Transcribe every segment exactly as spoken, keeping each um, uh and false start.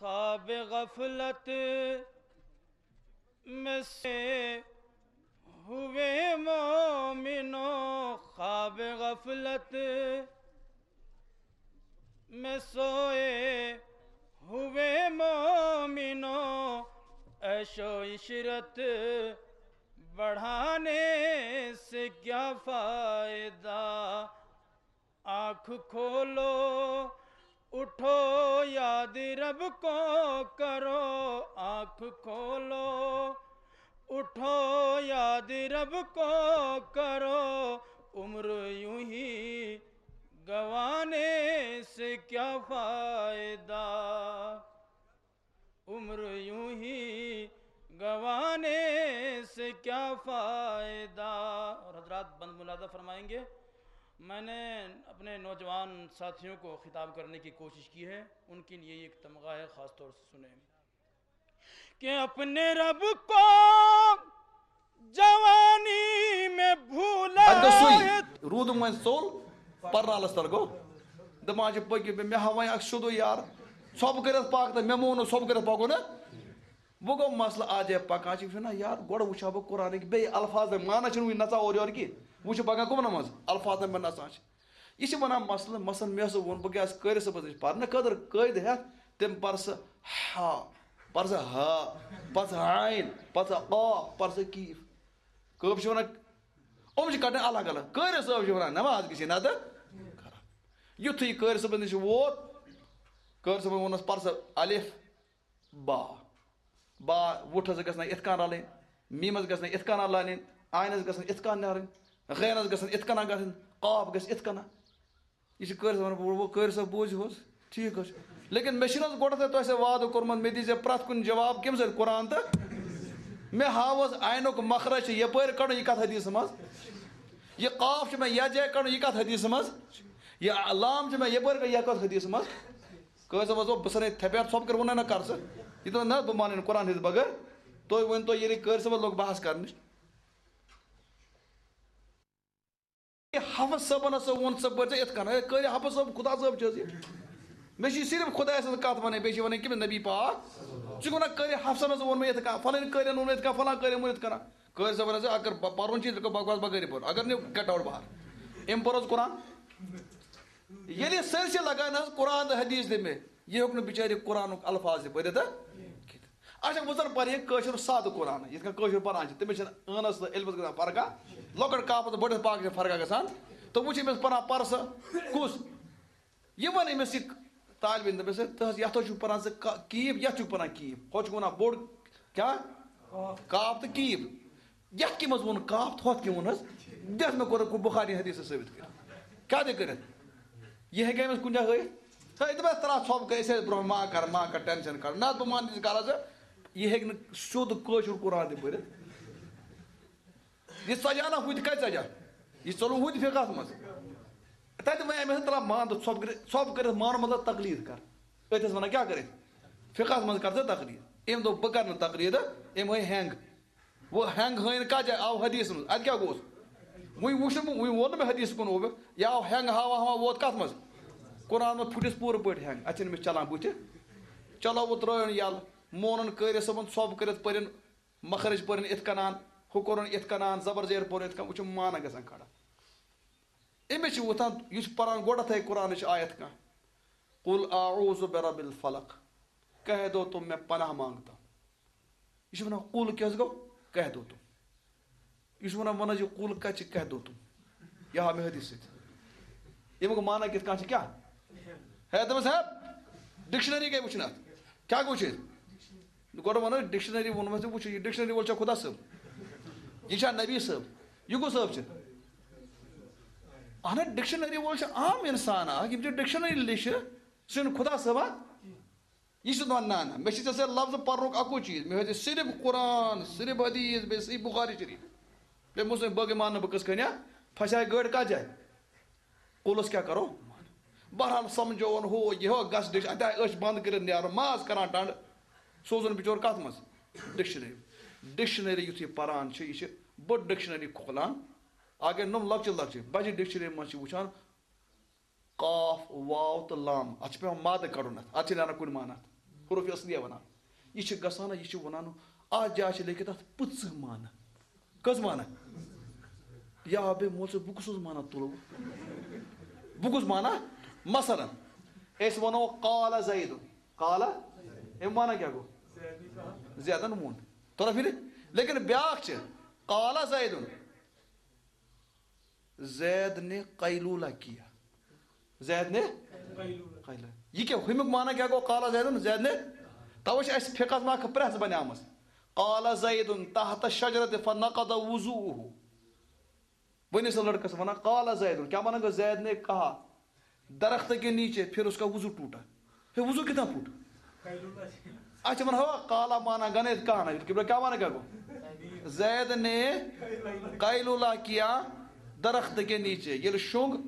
خواب غفلت میں سے ہوئے مومنو، خواب غفلت میں سوئے ہوئے مومنو، عیش و عشرت بڑھانے سے کیا فائدہ؟ آنکھ کھولو، اٹھو، یاد رب کو کرو۔ آنکھ کھولو، اٹھو، یاد رب کو کرو۔ عمر یوں ہی گوانے سے کیا فائدہ؟ عمر یوں ہی گوانے سے کیا فائدہ؟ اور حضرات بند ملاحظہ فرمائیں گے، میں نے اپنے نوجوان ساتھیوں کو خطاب کرنے کی کوشش کی ہے، ان کے لیے ایک تمغہ ہے، خاص طور سے سنیں کہ اپنے رب کو جوانی میں بھولا۔ اتہِ گوٚو سُے، روٗدُم وۄنۍ ژوٚل، پرنالس تل گوٚو۔ دپان چھِ پٔکِو، مےٚ ہاو وۄنۍ اکھ سیوٚدُے یار، ژھۄپہٕ کٔرِتھ پکھ تہٕ مےٚ مون نہٕ ژھۄپہٕ کٔرِتھ پکو نہ۔ وۄنۍ گوٚو مسلہٕ، اتھ جایہِ پکان چھِ، یہِ چھُ ونان، یار، گۄڈٕ وٕچھِ ہا بہٕ قرآنٕکۍ بیٚیہِ الفاظ، معنہ چھُنہٕ وٕنہِ نژان اورٕ یورٕ کینٛہہ۔ وٕچھِ پکان کٕمن منٛز الفاظن منٛز نژان چھِ۔ یہِ چھِ ونان مسلہٕ، مثلاً مےٚ ہسا ووٚن، بہٕ گژھٕ قٲرِ صٲبس نِش پرنہٕ خٲطرٕ قٲیدٕ ہٮ۪تھ، تٔمۍ پرسہٕ ہا، پرسہٕ ہا، پرسہٕ عین، پرسہٕ قاف، پرسہٕ کیف۔ کٲب چھِ ونان، یِم چھِ کڑان الگ الگ۔ قٲرِ صٲب چھِ ونان، نماز گژھِ نتہٕ خراب۔ یُتھُے یہِ قٲرِ صٲبس نِش ووت، قٲرِ صٲبن ووٚننس، پرسہٕ الف، با۔ با، وُٹھس گژھِ نہ یِتھ کٔنۍ رلٕنۍ، میٖمس گژھِ نہ یِتھ کٔنۍ رلٕنۍ، آینس گژھِ نہ یِتھ کٔنۍ نیرٕنۍ، غینس گژھِ نہ یِتھ کٔنۍ گژھٕنۍ، قاف گژھِ یِتھ کٔنۍ۔ یہِ چھِ قٲرِ صٲبن ووٚنمُت، قٲرِ صٲب بوٗزِو حظ، ٹھیٖک حظ چھُ۔ لیکن مےٚ چھُنہٕ حظ گۄڈٕ تۄہہِ، تۄہہِ سۭتۍ وعدٕ کوٚرمُت، مےٚ دیٖزِ پرٛٮ۪تھ کُنہِ جواب کٔمۍ سۭتۍ؟ قرآن تہٕ۔ مےٚ ہاو حظ آینُک مخرج چھُ یپٲرۍ کڑُن، یہِ کتھ حدیثہٕ منٛز؟ یہِ قاف چھُ مےٚ یتھ جایہِ کڑُن، یہِ کتھ حدیثہٕ منٛز؟ یہِ لام چھُ مےٚ یپٲرۍ کڑُن، یہِ کتھ حدیثہٕ منٛز؟ قٲضۍ صٲبس دوٚپ، بہٕ ژھٕنَے تھپٮ۪ٹھ، ژھۄپہٕ کٔر ووٚنُے نہ کر ژٕ۔ یہِ دوٚپ، نہ، بہٕ مانَے نہٕ قرآن ہیٚتھ بغٲر۔ تُہۍ ؤنۍ تو، ییٚلہِ قٲضۍ صٲبس لوٚگ بحث کرنہِ۔ یہِ حفظ صٲبن ہسا ووٚن، ژٕ پٔرۍ زِ یِتھ کٔنۍ۔ ہے، قٲضۍ حفظ صٲب، خدا صٲب چھِ حظ یہِ؟ مےٚ چھِ صرف خۄدایَس سٕنٛز کتھ ونٕنۍ، بیٚیہِ چھِ ونٕنۍ کٔمِس؟ نبی پاک۔ ژٕ چھُکھ ونان، قٲضۍ حفصن ہسا ووٚن مےٚ یِتھ کٔنۍ، فلٲنۍ قٲضۍ ووٚن یِتھ کٔنۍ، فلان قٲضۍ ووٚن یِتھ کٔنۍ۔ قٲضۍ صٲبن ہسا، اگر ب-، پرُن چھُ، ژٕ کر بکواس بغٲرٕے پوٚر۔ اگر نہٕ، get out بہار۔ أمۍ پوٚر حظ قرآن۔ ییٚلہِ سٲرسٕے لگان حظ قرآن تہٕ حدیث دِمے، یہِ ہیوٚک نہٕ بِچارِ قرآنُک الفاظ تہِ پٔرِتھ تہٕ کھٮ۪تھ۔ اچھا، وۄنۍ زن پرِ یہِ کٲشُر سادٕ قرآن، یِتھ کٔنۍ کٲشُر پران چھِ، تٔمِس چھِنہٕ عٲنس تہٕ علمس گژھان فرقہ، لۄکٕٹ کاف تہٕ بٔڑِس پاف چھِ فرقہ گژھان۔ تہٕ وۄنۍ چھِ أمِس پران پرسہٕ کُس؟ یہِ وَن أمِس یہِ طالب علم، دَپٮ۪س، ہے، تُہۍ حظ یَتھ حظ چھُو پَران ژٕ کا-، کیٖف، یَتھ چھُکھ پَران کیٖف، ہۄتھ چھُکھ وَنان بوٚڑ کیٛاہ؟ کاف تہٕ کیٖف۔ یَتھ کیٛاہ منٛز ووٚن کاف تہٕ ہۄتھ کیٛاہ ووٚن حظ؟ دِتھ مےٚ کوٚرُکھ بُخاری حدیٖثَس ثٲبِت کٔرِتھ۔ کیٛاہ تہِ کٔرِتھ؟ یہِ ہیٚکہِ أمِس کُنہِ جایہِ ہٲیِتھ؟ ہے، دَپٮ۪س، ترٛاو ژھۄپہٕ کٔرِتھ، أسۍ ٲسۍ برٛونٛہہ، ما کَر، ما کَر، ٹٮ۪نشَن کَر۔ نہ، بہٕ مانہٕ تہِ ژٕ کَر حظ۔ یہِ ہیٚکہِ نہٕ سیوٚد کٲشُر قرآن تہِ پٔرِتھ۔ یہِ ژَجان ہا ہُتہِ کَتہِ ژَجان؟ یہِ ژوٚلُن ہُتہِ فِقہَس منٛز۔ تَتہِ وَنے مےٚ، تَلہ مان تہٕ ژھۄپہٕ کٔرِتھ، ژھۄپہٕ کٔرِتھ مان، مطلب تقلید کر۔ أتھۍ ٲس وَنان کیٛاہ کٔرِتھ؟ فِقہَس منٛز کر ژٕ تقلید۔ أمۍ دوٚپ، بہٕ کَرٕ نہٕ تقلید، أمۍ ہٲے ہینٛگ۔ وۄنۍ ہینٛگ ہٲیِن کَتھ جایہِ؟ آو حدیثَس منٛز۔ اَتہِ کیٛاہ گوٚوس؟ وۄنۍ وُچھ نہٕ بہٕ، وۄنۍ ووٚن نہٕ مےٚ حدیثَس کُن اوٚبہِ۔ یہِ آو ہینٛگ ہاوان ہاوان ووت کَتھ منٛز؟ قرآن منٛز پھُٹِس پوٗرٕ پٲٹھۍ ہینٛگ۔ اَتہِ چھِنہٕ أمِس چَلان بُتھِ۔ چلو، وۄنۍ ترٛٲیُن یَلہٕ۔ مونُن قٲرِ صٲبُن، ژھۄپہٕ کٔرِتھ پٔرِن۔ مخرج پٔرِن اِتھ کَنان، ہُہ کوٚرُن اِتھ کَنان، زبر زیر پوٚرُن اِتھ کَنان، وۄنۍ چھُ معنہ گژھان کھڑا۔ أمِس چھِ وۄتھان، یہِ چھُ پَران گۄڈَتھَے قرآنٕچ آیت کانٛہہ، "قل اعوذ برب الفلق"، کہہ دو تم میں پناہ مانگتا ہوں۔ یہِ چھُ وَنان، "قل" کیٛاہ حظ گوٚو؟ کہہ دو تم۔ یہِ چھُ وَنان، وَن حظ یہِ "قل" کَتہِ چھِ، کہہ دو تم؟ یہِ ہاو مےٚ حدیث سۭتۍ۔ اَمیُک معنہ کِتھ کٔنۍ چھِ کیٛاہ؟ ہے، دوٚپمَس، ہے، ڈکشنری گٔے وٕچھِنۍ اَتھ۔ کیٛاہ گوٚو وٕچھِنۍ؟ گۄڈٕ وَنو، ڈکشنری ووٚنمَس تہِ وٕچھِو، یہِ ڈکشنری وول چھا خۄدا صٲب؟ یہِ چھا نبی صٲب؟ یہِ کُس صٲب چھِ؟ اَہَن حظ، ڈکشنری وول چھُ عام اِنسان اَکھ، یِم چھِ ڈکشنری لیٚچھِ، سُہ چھُنہٕ خۄدا صٲب، ہا؟ یہِ چھُ دَپان، نہ، نہ، مےٚ چھِ ژےٚ سۭتۍ لفظ پَرنُک اَکُے چیٖز، مےٚ ہٲیزِ صرف قرآن، صرف حدیث، بیٚیہِ صحیح بُخاری شریٖف۔ بیٚیہِ مسلم، باقٕے مانہٕ نہٕ بہٕ قٕصہٕ کھٔنہِ، ہا؟ پھسے گٲڑۍ کَتھ جایہِ؟ قُلَس کیٛاہ کَرو؟ بہرحال سَمجھووُن ہُہ یہِ ہُہ، گژھ ڈِش-، اَتہِ آے أچھ بنٛد کٔرِتھ نیرُن، ماز کَران ٹنٛڈ۔ سوزُن بِچور کَتھ منٛز؟ ڈکشنری۔ ڈکشنری یُتھُے پَران چھِ، یہِ چھِ بٔڑ ڈکشنری کھولان۔ اَگَے نۄم لۄکچہِ لۄکچہِ بَجہِ ڈکشنری منٛز چھِ وٕچھان، قاف، واو تہٕ لام، اَتھ چھِ پٮ۪وان مادٕ کَڑُن اَتھ، اَتھ چھِ نیران کُنہِ معنی اَتھ۔ حروف اصلیہ ونان۔ یہِ چھِ گژھان، یہِ چھِ ونان، اتھ جایہِ چھِ لیکھِتھ اتھ پٕژٕ معنی۔ کٔژ معنی؟ یا بے مول ژٕ، بہٕ کُس اوس معنی تُلو؟ بہٕ کُس معنی؟ مثلاً، أسۍ ونو قال زیدن۔ قال، اَمیُک معنی کیٛاہ گوٚو؟ زیدن ووٚن۔ توٚرا فِکرِ؟ لیکن بیٛاکھ چھِ، قال زیدن، زید نے قیلولہ کیا۔ زید نے قیلولہ۔ یہ کیا؟ ہمیُک معنی کیا گوٚو؟ قال زیدن، زید نے۔ توے چھِ اَسہِ فقہس منٛز اکھ پریس بنیمٕژ۔ قال زید تحت الشجرة فنقض وضوءه۔ وۄنۍ ٲسۍ لڑکس ونان، قال زید، کیا ونان گوٚو؟ زید نے کہا، درخت کے نیچے، پھر اس کا وضو ٹوٹا۔ ہے، وضو کتنا پھوٹ؟ اچھا، من ہوا قال مانا گنے کہا نا، کہ کیا مانا کیا گوٚو؟ زید نے قیلولہ کیا درخت کے نیچے۔ ییٚلہِ شۄنٛگ،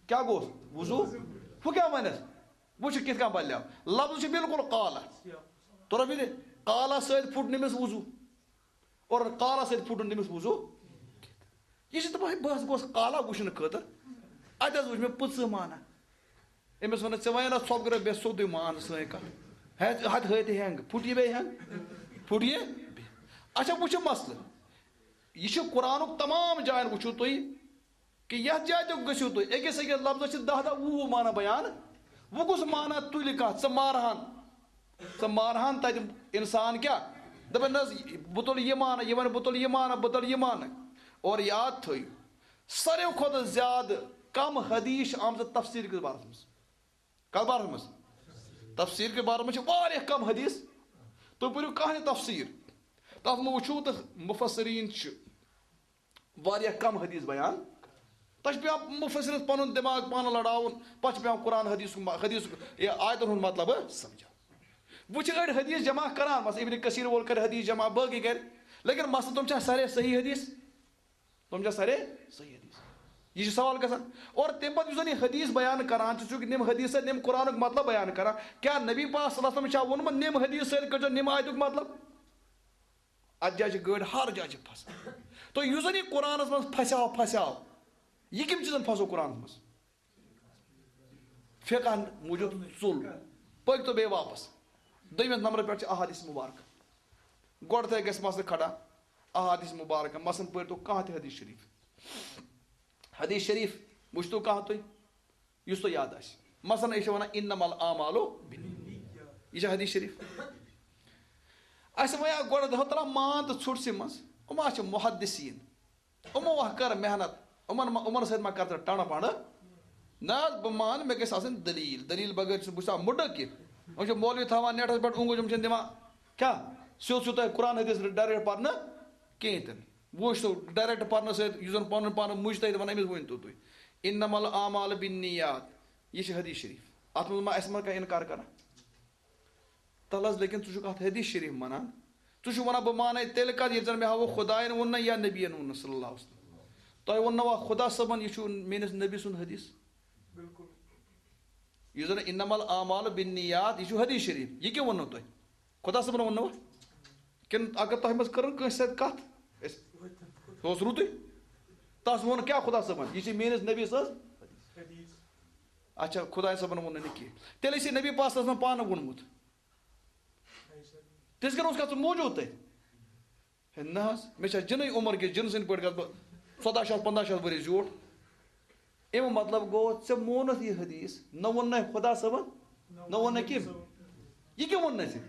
کیا گوٚو؟ وضو۔ ہُہ کیا ونس؟ وٕچھ کِتھ کٔنۍ بدلیو۔ لفظ چھُ بالکل قال۔ توٚرا فِکرِ؟ قال سۭتۍ پھُٹ نہٕ أمِس وضو۔ اور قال سۭتۍ پھُٹُن تٔمِس وضو۔ یہِ چھِ دَپان، ہے، بہٕ حظ گوس قال وٕچھنہٕ خٲطرٕ۔ اَتہِ حظ وٕچھ مےٚ پٕژٕ معنی۔ أمِس وَنان، ژےٚ وَنے نہ ژھۄپہٕ کٔرِتھ، بیٚہہ سیوٚدُے مان سٲنۍ کَتھ۔ ہے، اَتہِ ہٲے تہِ ہٮ۪نٛگ، پھُٹ یہِ بیٚیہِ ہٮ۪نٛگ؟ پھُٹ یہِ؟ اچھا، وٕچھ یہِ مسلہٕ۔ یہِ چھُ قرآنُک تمام جاین، وٕچھِو تُہۍ، کہِ یتھ جایہِ تہِ گٔژھِو تُہۍ، أکِس أکِس لفظس چھِ دَہ دَہ وُہ وُہ معنی بیان۔ وۄنۍ کُس معنی تُلہِ کانٛہہ؟ ژٕ مارہان، ژٕ مارہان تتہِ انسان کیٛاہ؟ دپان نہ حظ، بہٕ تُلہٕ یہِ معنی، یہِ ونہِ بہٕ تُلہٕ یہِ معنی، بہٕ تُلہٕ یہِ معنی۔ اور یاد تھٲیِو، ساروٕے کھۄتہٕ زیادٕ کم حدیث چھِ آمژٕ تفسیر کِس بارس منٛز۔ کتھ بارس منٛز؟ تفسیر کِس بارس منٛز چھِ واریاہ کم حدیث۔ تُہۍ پٔرِو کانٛہہ تہِ تفسیر، تتھ منٛز وٕچھِو تہٕ مفسرین چھِ واریاہ کم حدیث بیان۔ تتھ چھُ پٮ۪وان مفسرس پنُن دٮ۪ماغ پانہٕ لڑاوُن، پتہٕ چھُ پٮ۪وان قرآن حدیثُک م-، حدیثُک، یہِ آیتن ہُنٛد مطلب سمجھُن۔ وۄنۍ چھِ أڑۍ حدیث جمع کران، مثلاً ابن کثیر وول کرِ حدیث جمع، باقٕے کرِ، لیکن مسلہٕ تِم چھا سارے صحیح حدیث؟ تِم چھا سارے صحیح حدیث؟ یہِ چھُ سوال گژھان۔ اور تمہِ پتہٕ یُس زن یہِ حدیث بیان کران چھُ، ژٕ چھُکھ نِم حدیث سۭتۍ نِم قرآنُک مطلب بیان کران، کیٛاہ نبی پاک صلی اللہ علیہ وسلم چھا ووٚنمُت نِم حدیث سۭتۍ کٔرۍزیو نِم آیتُک مطلب؟ اتھ جایہِ چھِ گٲڑۍ، ہر جایہِ چھِ پھسان۔ تہٕ یُس زن یہِ قرآنس منٛز پھسیو، پھسیو، یہِ کمہِ چیٖزن پھسو قرآنس منٛز؟ فقہن موٗجوٗب ژوٚل۔ پٔکۍ تو بیٚیہِ واپس۔ دوٚیمِس نمبرس پٮ۪ٹھ چھِ احادیث مبارکہ۔ گۄڈٕ تہِ گژھِ مسلہٕ کھڑا، احادیث مبارکہ۔ مثلاً پٔرۍ تو کانٛہہ تہِ حدیث شریف۔ حدیث شریف وٕچھ تو کانٛہہ تُہۍ۔ یُس تۄہہِ یاد آسہِ۔ مثلاً، أسۍ چھِ وَنان، "انما الاعمال بالنیات۔" یہِ چھِ حدیث شریف۔ اَسہِ وَنہِ اَکھ گۄڈٕ دَہ ترٛاو مان تہٕ ژھوٚٹ سٕے منٛز۔ یِم ہا چھِ محدثیٖن۔ یِمو ہا کٔر محنت۔ یِمَن ما، یِمَن سۭتۍ ما کَر ژٕ ٹَنڈٕ پَنڈٕ؟ نہ حظ، بہٕ مانہٕ، مےٚ گژھِ آسٕنۍ دٔلیٖل۔ دٔلیٖل بغٲر چھُس بہٕ چھُسا مُڈٕ کہِ؟ یِم چھِ مولوی تھاوان نیٹَس پٮ۪ٹھ اوٚنٛگُج، یِم چھِنہٕ دِوان کیٛاہ؟ سیوٚد سیوٚد تۄہہِ قرآن حدیث direct پَرنہٕ کِہیٖنۍ تہِ نہٕ۔ وۄنۍ چھُ سُہ direct پَرنہٕ سۭتۍ، یُس زَن پَنُن پان مُجتہِد وَنان، أمِس ؤنۍ تو تُہۍ، "انما الاعمال بالنیات"، یہِ چھِ حدیث شریٖف۔ اَتھ منٛز ما اَسہِ ما کانٛہہ اِنکار کَران؟ تَلہٕ حظ، لیکن ژٕ چھُکھ اَتھ حدیث شریٖف مانان۔ ژٕ چھُکھ وَنان، "بہٕ مانَے تیٚلہِ کَتھ، ییٚلہِ زَن مےٚ ہاوُکھ خۄدایَن ووٚن نہ یا نبیَن ووٚن نہ صلی اللہ علیہ وسلم۔ تۄہہِ ووٚن نہ وا خۄدا صٲبَن، یہِ چھُ میٛٲنِس نبی سُنٛد حدیث؟" بالکل۔ یُس زَن انما الاعمال بالنیات، یہِ چھُ حدیث شریٖف۔ یہِ کیٛاہ ووٚنوٕ تۄہہِ؟ خۄدا صٲبن ووٚن نہٕ وۄنۍ؟ کِنہٕ اگر تۄہہِ منٛز کٔرٕن کٲنٛسہِ سۭتۍ کَتھ؟ أسۍ، سُہ اوس رُتُے۔ تَس ووٚن کیٛاہ خۄدا صٲبن؟ یہِ چھِ میٛٲنِس نبی سٕنٛز۔ اچھا، خۄداے صٲبن ووٚن نہٕ کینٛہہ۔ تیٚلہِ ٲسۍ یہِ نبی پاک صلی اللہ علیہ وسلم پانہٕ ووٚنمُت۔ تِژھ کَن اوس کَتھ سُہ موٗجوٗد تَتہِ؟ ہے نہ حظ، مےٚ چھا جِنٕے عمر کہِ جِن سٕنٛدۍ پٲٹھۍ گژھٕ بہٕ ژۄداہ شیٚتھ، پنٛداہ شیٚتھ ؤری زیوٗٹھ؟ اَمیُک مطلب گوٚو، ژےٚ مونُتھ یہِ حدیث، نہ ووٚن نَے خۄدا صٲبن، نہ ووٚن نَے کٔمۍ۔ یہِ کیٛاہ ووٚن نَے ژےٚ؟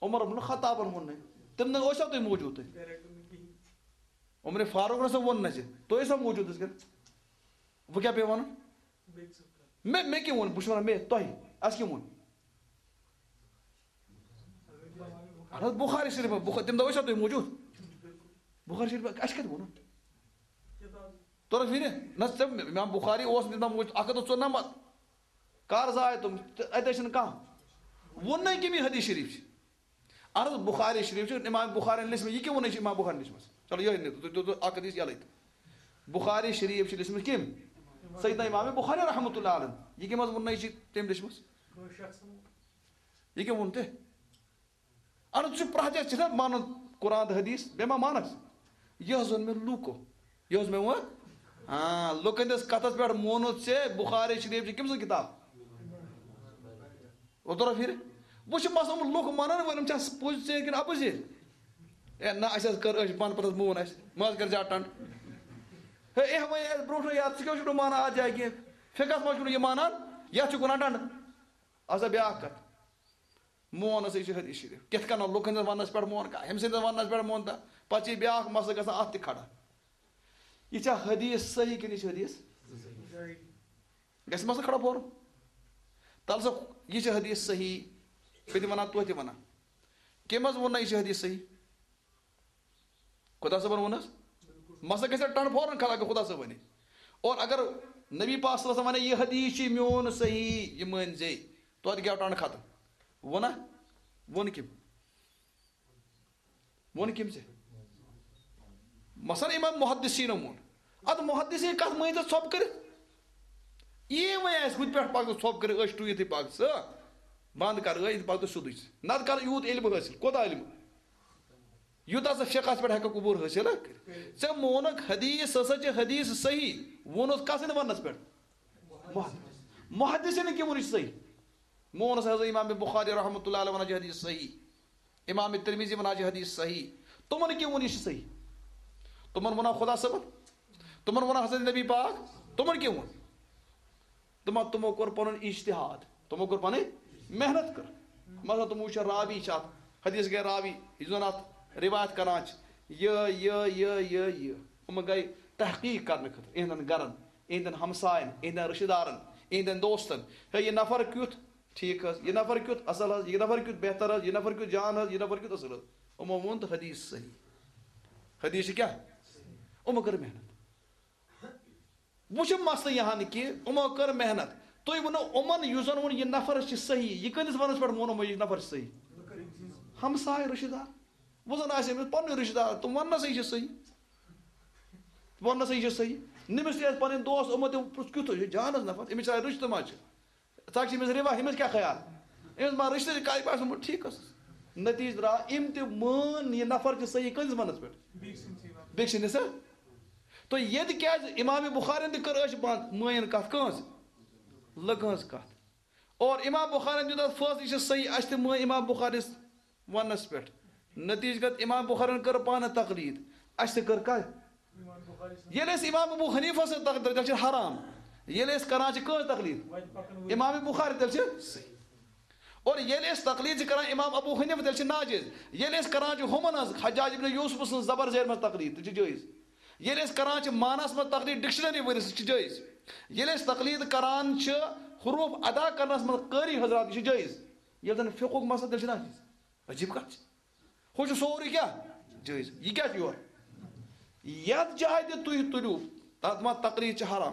عمر بن خطابن ووٚن نَے۔ تِم نہ ٲسوا تُہۍ موٗجوٗد تَتہِ؟ عمر فاروق نہ سا ووٚن نَے ژےٚ۔ تُہۍ ٲسوا موٗجوٗد تِژھ کَن؟ وۄنۍ کیٛاہ پیٚیہِ وَنُن؟ مےٚ، مےٚ کیٛاہ ووٚن؟ بہٕ چھُس وَنان مےٚ، تۄہہِ، اَسہِ کیٛاہ ووٚن؟ اَہَن حظ، بُخاری شریٖف، بُخ-، تَمہِ دۄہ ٲسوا تُہۍ موٗجوٗد؟ بُخاری شریٖف، اَسہِ کَتہِ ووٚنُن؟ توٚرُکھ فِکرِ؟ نہ، ژےٚ، اِمام بُخاری اوس نہٕ تَمہِ دۄہ موٗجوٗد، اَکھ ہَتھ تہٕ ژُنَمَتھ۔ کَر زاے تِم؟ تہٕ اَتہِ ٲسۍ نہٕ کانٛہہ۔ ووٚن نَے کٔمۍ یہِ حدیث شریٖف چھِ؟ اَہَن حظ، بُخاری شریٖف چھُ اِمام بُخارِن لیٚچھمٕژ۔ یہِ کیٛاہ ووٚنُے چھِ اِمام بُخارِن لیٚچھمٕژ؟ چلو، یِہوٚے نِتہٕ تُہۍ، تُہۍ، تُہۍ اَکھ حدیث یَلَے تہٕ۔ بُخاری شریٖف چھِ لیٚچھمٕژ کٔمۍ؟ سیدنا اِمام بُخاری رحمتہ اللہ علیہ۔ یہِ کٔمۍ حظ ووٚن نَے چھِ تٔمۍ لیٚچھمٕژ؟ یہِ کیٛاہ ووٚن تۄہہِ؟ اَہَن حظ، ژٕ چھُ پرٛٮ۪تھ جایہِ ژےٚ چھِنہ مانُن قرآن تہٕ حدیث؟ بیٚیہِ ما مانَکھ ژٕ؟ یہِ حظ ووٚن مےٚ لوٗکو۔ یہِ حظ مےٚ ووٚن، ہاں، لُکَن ہٕنٛدِس کَتھَس پٮ۪ٹھ مونُت ژےٚ بُخاری شریٖف چھِ کٔمۍ سٕنٛز کِتاب؟ اوترٕ پھِرِ۔ وۄنۍ چھِ مثلاً لُکھ مانان وۄنۍ یِم چھا پوٚز ژیر کِنہٕ اَپُز ژیر؟ اے نہ، اَسہِ حظ کٔر، أسۍ پانہٕ پَتہٕ حظ مون اَسہِ، مہ حظ کَر زیادٕ ٹنٛڈ۔ ہے، اے وۄنۍ اَسہِ برونٛٹھ یاد، ژٕ کیٛاہ چھُکھ نہٕ مانان اَتھ جایہِ کینٛہہ؟ فِقہَس منٛز چھُکھ نہٕ یہِ مانان، یَتھ چھُکھ وَنان ٹنٛڈ۔ اَسا بیٛاکھ کَتھ، مون ہسا یہِ چھُ حدیث شریف۔ کِتھ کَنۍ لُکَن ہٕنٛدِس وَننَس پٮ۪ٹھ مون کانٛہہ، ہُمۍ سٕنٛدِس وَننَس پٮ۪ٹھ مون تہٕ پَتہٕ چھِ یہِ بیٛاکھ مسلہٕ گژھان اَتھ تہِ کھڑا۔ یہِ چھا حدیث صحیح کِنہٕ یہِ چھِ حدیث؟ گژھِ مسلہٕ کھڑا فوراً۔ تَلہٕ سا، یہِ چھِ حدیث صحیح، بہٕ تہِ وَنان، تُہۍ تہِ وَنان۔ کٔمۍ حظ ووٚن نہ یہِ چھِ حدیث صحیح؟ خدا صٲبَن ووٚن حظ؟ مسلہٕ گژھِ ٹَنٛڈ فوراً کھڑا اگر خدا صٲب وَنہِ۔ اور اگر نبی پاک صلی اللہ علیہ وسلم وَنہِ، "یہِ حدیث چھِ میون صحیح، یہِ مٲنۍ زے"، توتہِ گٔیو ٹَنٛڈ ختم۔ ووٚنا؟ ووٚن کٔمۍ؟ ووٚن کٔمۍ ژےٚ؟ مثلاً امام محدثینو ووٚن۔ اَدٕ محدثین کَتھ مٲنۍ ژےٚ ژھۄپہٕ کٔرِتھ؟ یی وۄنۍ آسہِ ہُتہِ پٮ۪ٹھ پَکھ ژٕ ژھۄپہٕ کٔرِتھ، أچھ ٹُوِتھٕے پَکھ ژٕ۔ بنٛد کَر، أچھ پَکھ ژٕ سیوٚدُے ژٕ۔ نَتہٕ کَر یوٗت علم حٲصِل۔ کوٗتاہ علم؟ یوٗتاہ ژٕ فقہَس پٮ۪ٹھ ہٮ۪کَکھ عبوٗر حٲصِل کٔرِتھ۔ ژےٚ مونُکھ حدیث ہسا چھِ حدیث صحیح، ووٚنُس کَس سٕنٛدِ وَننَس پٮ۪ٹھ؟ محدث۔ محدثینَن کیٛاہ ووٚن یہِ چھُ صحیح؟ مونُس حضرت امام بخاری رحمتہ اللہ علیہ وَنان چھِ حدیث صحیح، امام ترمذی وَنان چھِ حدیث صحیح، تِمَن کیٛاہ ووٚن یہِ چھُ صحیح؟ تِمَن وَنان خدا صٲبَن، تِمَن وَنان حضرت نبی پاک، تِمَن کیٛاہ ووٚن؟ تِمو، تِمو کوٚر پَنُن اجتہاد، تِمو کوٚر پَنٕنۍ محنت کٔر۔ مثلاً تِمو وٕچھ راوی چھِ اَتھ حدیث گٔے راوی، یُس زَن اَتھ رِوایت کَران چھِ، یہِ، یہِ، یہِ، یہِ، یہِ۔ یِم گٔے تحقیق کَرنہٕ خٲطرٕ یِہِنٛدٮ۪ن گَرَن، یِہِنٛدٮ۪ن ہمسایَن، یِہِنٛدٮ۪ن رِشتہٕ دارَن، یِہِنٛدٮ۪ن دوستَن۔ ہے، یہِ نفر کیُتھ ٹھیٖک حظ، یہِ نفر کیُتھ اَصٕل حظ، یہِ نفر کیُتھ بہتر حظ، یہِ نفر کیُتھ جان حظ، یہِ نفر کیُتھ اَصٕل حظ۔ یِمو ووٚن تہٕ حدیث صحیح۔ حدیث چھِ کیٛاہ؟ یِمو کٔر محنت۔ وۄنۍ چھُ مسلہٕ یہِ ہن کہِ یِمو کٔر محنت۔ تُہۍ ؤنِو یِمن یُس زن ووٚن یہِ نفر چھِ صحیح، یہِ کٕہٕنٛدِس وننس پٮ۪ٹھ ووٚن یِمو یہِ نفر چھِ صحیح؟ ہمساے رشتہٕ دار۔ وۄنۍ زن آسہِ أمِس پنُن رشتہٕ دار، تِم وننس یہِ چھِ صحیح۔ وننس یہِ چھِ صحیح۔ نٔمِس تہِ ٲسۍ پنٕنۍ دوس، یِمو تہِ پرُژھ کیُتھ چھُ یہِ جانس نفر، أمِس چھا رشتہٕ ما چھِ؟ ژٕ چھِ أمِس رِوا، أمِس کیٛاہ خیال؟ أمِس ما رشتہٕ کَتہِ باسان ٹھیٖک ٲسٕس؟ نتیٖجہٕ درٛاو، أمۍ تہِ مٲن یہِ نفر چھِ صحیح کٔہٕنٛدِس وننس پٮ۪ٹھ؟ بیٚکہِ سٕنٛدِس، ہا؟ تو ییٚتہِ کیٛازِ امام بخارین تہِ کٔر أچھ بنٛد، مٲنِن کَتھ کٲنٛسہِ؟ لٔکہٕ ہٕنٛز کَتھ۔ اور امام بخارین دیُت اَتھ فٲصلہٕ، یہِ چھِ صحیح، اَسہِ تہِ مٲنۍ امام بخارینس وننس پٮ۪ٹھ۔ نتیٖجہٕ گت امام بخارین کٔر پانہٕ تقلید، اَسہِ تہِ کٔر کَتھ؟ ییٚلہِ أسۍ امام ابو حنیفہ سٕنٛز تقلید، تیٚلہِ چھِ حرام۔ ییٚلہِ أسۍ کران چھِ کٲنٛسہِ تقلید؟ امام بخاری، تیٚلہِ چھِ صحیح۔ اور ییٚلہِ أسۍ تقلید چھِ کران امام ابو حنیفہ، تیٚلہِ چھِ ناجٲیز۔ ییٚلہِ أسۍ کران چھِ ہُمن ہٕنٛز، حجاج ابن یوسف سٕنٛز زبر زیر منٛز تقلید، تیٚلہِ چھِ جٲیز۔ ییٚلہِ أسۍ کران چھِ معنس منٛز تقلید ڈکشنری وٲلِس، سُہ چھِ جٲیز۔ ییٚلہِ أسۍ تقلید کران چھِ حروف ادا کرنس منٛز قٲری حضرات، یہِ چھِ جٲیز۔ ییٚلہِ زن فقہُک مسلہٕ، تیٚلہِ چھِ ناجٲیز۔ عجیٖب کَتھ چھِ۔ ہُہ چھُ سورُے کیٛاہ؟ جٲیِز۔ یہِ کیٛاہ چھُ یورٕ؟ یَتھ جایہِ تہِ تُہۍ تُلِو، تَتھ ما تقلید چھِ حرام۔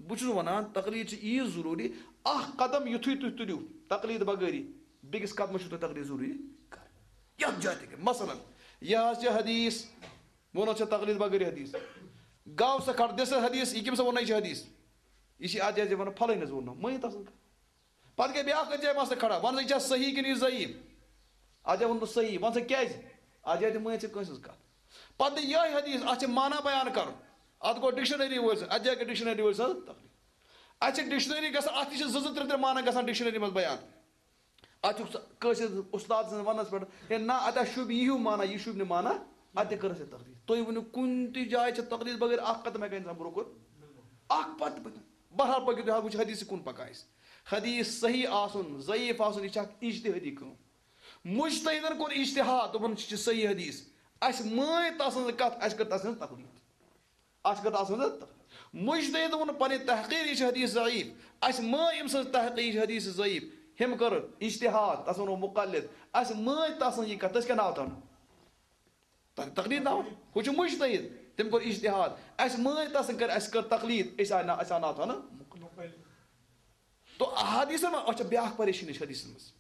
بہٕ چھُس وَنان، تقلید چھِ ییٖژ ضروٗری، اَکھ قدم یُتھُے تُہۍ تُلِو تقلید بغٲری، بیٚکِس قدمَس چھُو تۄہہِ تقلید ضروٗری کَرٕنۍ۔ یَتھ جایہِ تہِ کینٛہہ۔ مثلاً، یہِ حظ چھِ حدیث، ووٚن حظ چھےٚ تقلید بغٲری حدیث۔ گاو سا کھڑ، دِس حدیث، یہِ کٔمۍ سا ووٚن، یہِ چھِ حدیث۔ یہِ چھِ اَتھ جایہِ وَنان، پھلٲنۍ حظ ووٚن نہٕ، مٲنِو تَس۔ پتہٕ گٔے بیٛاکھ کتھ جایہِ مسلہٕ کھڑا، وَن سا، یہِ چھا صحیح کِنہٕ یہِ ضعیٖف؟ اَتھ جایہِ ووٚن نہٕ صحیح، وَن سا کیٛازِ؟ اَتھ جایہِ تہِ مٲنۍ ژےٚ کٲنٛسہِ ہٕنٛز کَتھ۔ پَتہٕ یہِ یِہوٚے حدیث، اَتھ چھِ معنہ بیان کَرُن۔ اَتھ گوٚو ڈکشنری وٲلۍ سٕنٛز، اَتھ جایہِ گٔے ڈکشنری وٲلۍ سٕنٛز تقلید۔ اَتھ چھِ ڈکشنری گژھان، اَتھ تہِ چھِ زٕ زٕ ترٛےٚ ترٛےٚ معنہ گژھان ڈکشنری منٛز بیان۔ اَتھ چھُکھ ژٕ کٲنٛسہِ ہٕنٛز اُستاد سٕنٛز وَننَس پٮ۪ٹھ، ہے نہ، اَتھ ہا شوٗبہِ یِہیوٗ معنہ، یہِ شوٗبہِ نہٕ معنہ، اَتہِ تہِ کٔر اَسہِ تقلید۔ تُہۍ ؤنِو، کُنہِ تہِ جایہِ چھِ تقلید بغٲر اَکھ قدم ہٮ۪کان اِنسان برٛونٛہہ کُن؟ اَکھ پتہٕ پتہٕ۔ بہرحال، پٔکِو تُہۍ، حظ وٕچھ حدیث کُن پَکان أسۍ۔ حدیث صحیح آسُن، ضعیٖف آسُن، یہِ چھِ اَکھ اجتہٲدی کٲم۔ مُجتہدَن کوٚر اجتہاد، دوٚپُن، یہِ چھِ صحیح حدیث۔ اَسہِ مٲنۍ تَسٕنٛز کَتھ، اَسہِ کٔر تَسٕنٛز تقلید۔ اَتھ چھِ کَتھ آسان ضروٗرت۔ مُجتہِد ووٚن پَنٕنۍ تحقیٖر، یہِ چھِ حدیث ضعیٖف۔ اَسہِ مٲنۍ أمۍ سٕنٛز تحقیٖر، یہِ چھِ حدیث ضعیٖف۔ ہُمۍ کٔر اجتہاد، تَس ووٚنُو مُقلِد۔ اَسہِ مٲنۍ تَس سٕنٛز یہِ کَتھ، تٔمِس کیٛاہ ناو تھاونہٕ؟ تَتھ تقلید ناو۔ ہُہ چھُ مُجتہِد، تٔمۍ کوٚر اجتہاد۔ اَسہِ مٲنۍ تَس سٕنٛز کٔر، اَسہِ کٔر تقلید، أسۍ آے نا-، اَسہِ آو ناو تھاونہٕ مُقلِد۔ تو احادیثن منٛز، اَتھ چھِ بیٛاکھ پریشٲنی چھِ حدیثس منٛز۔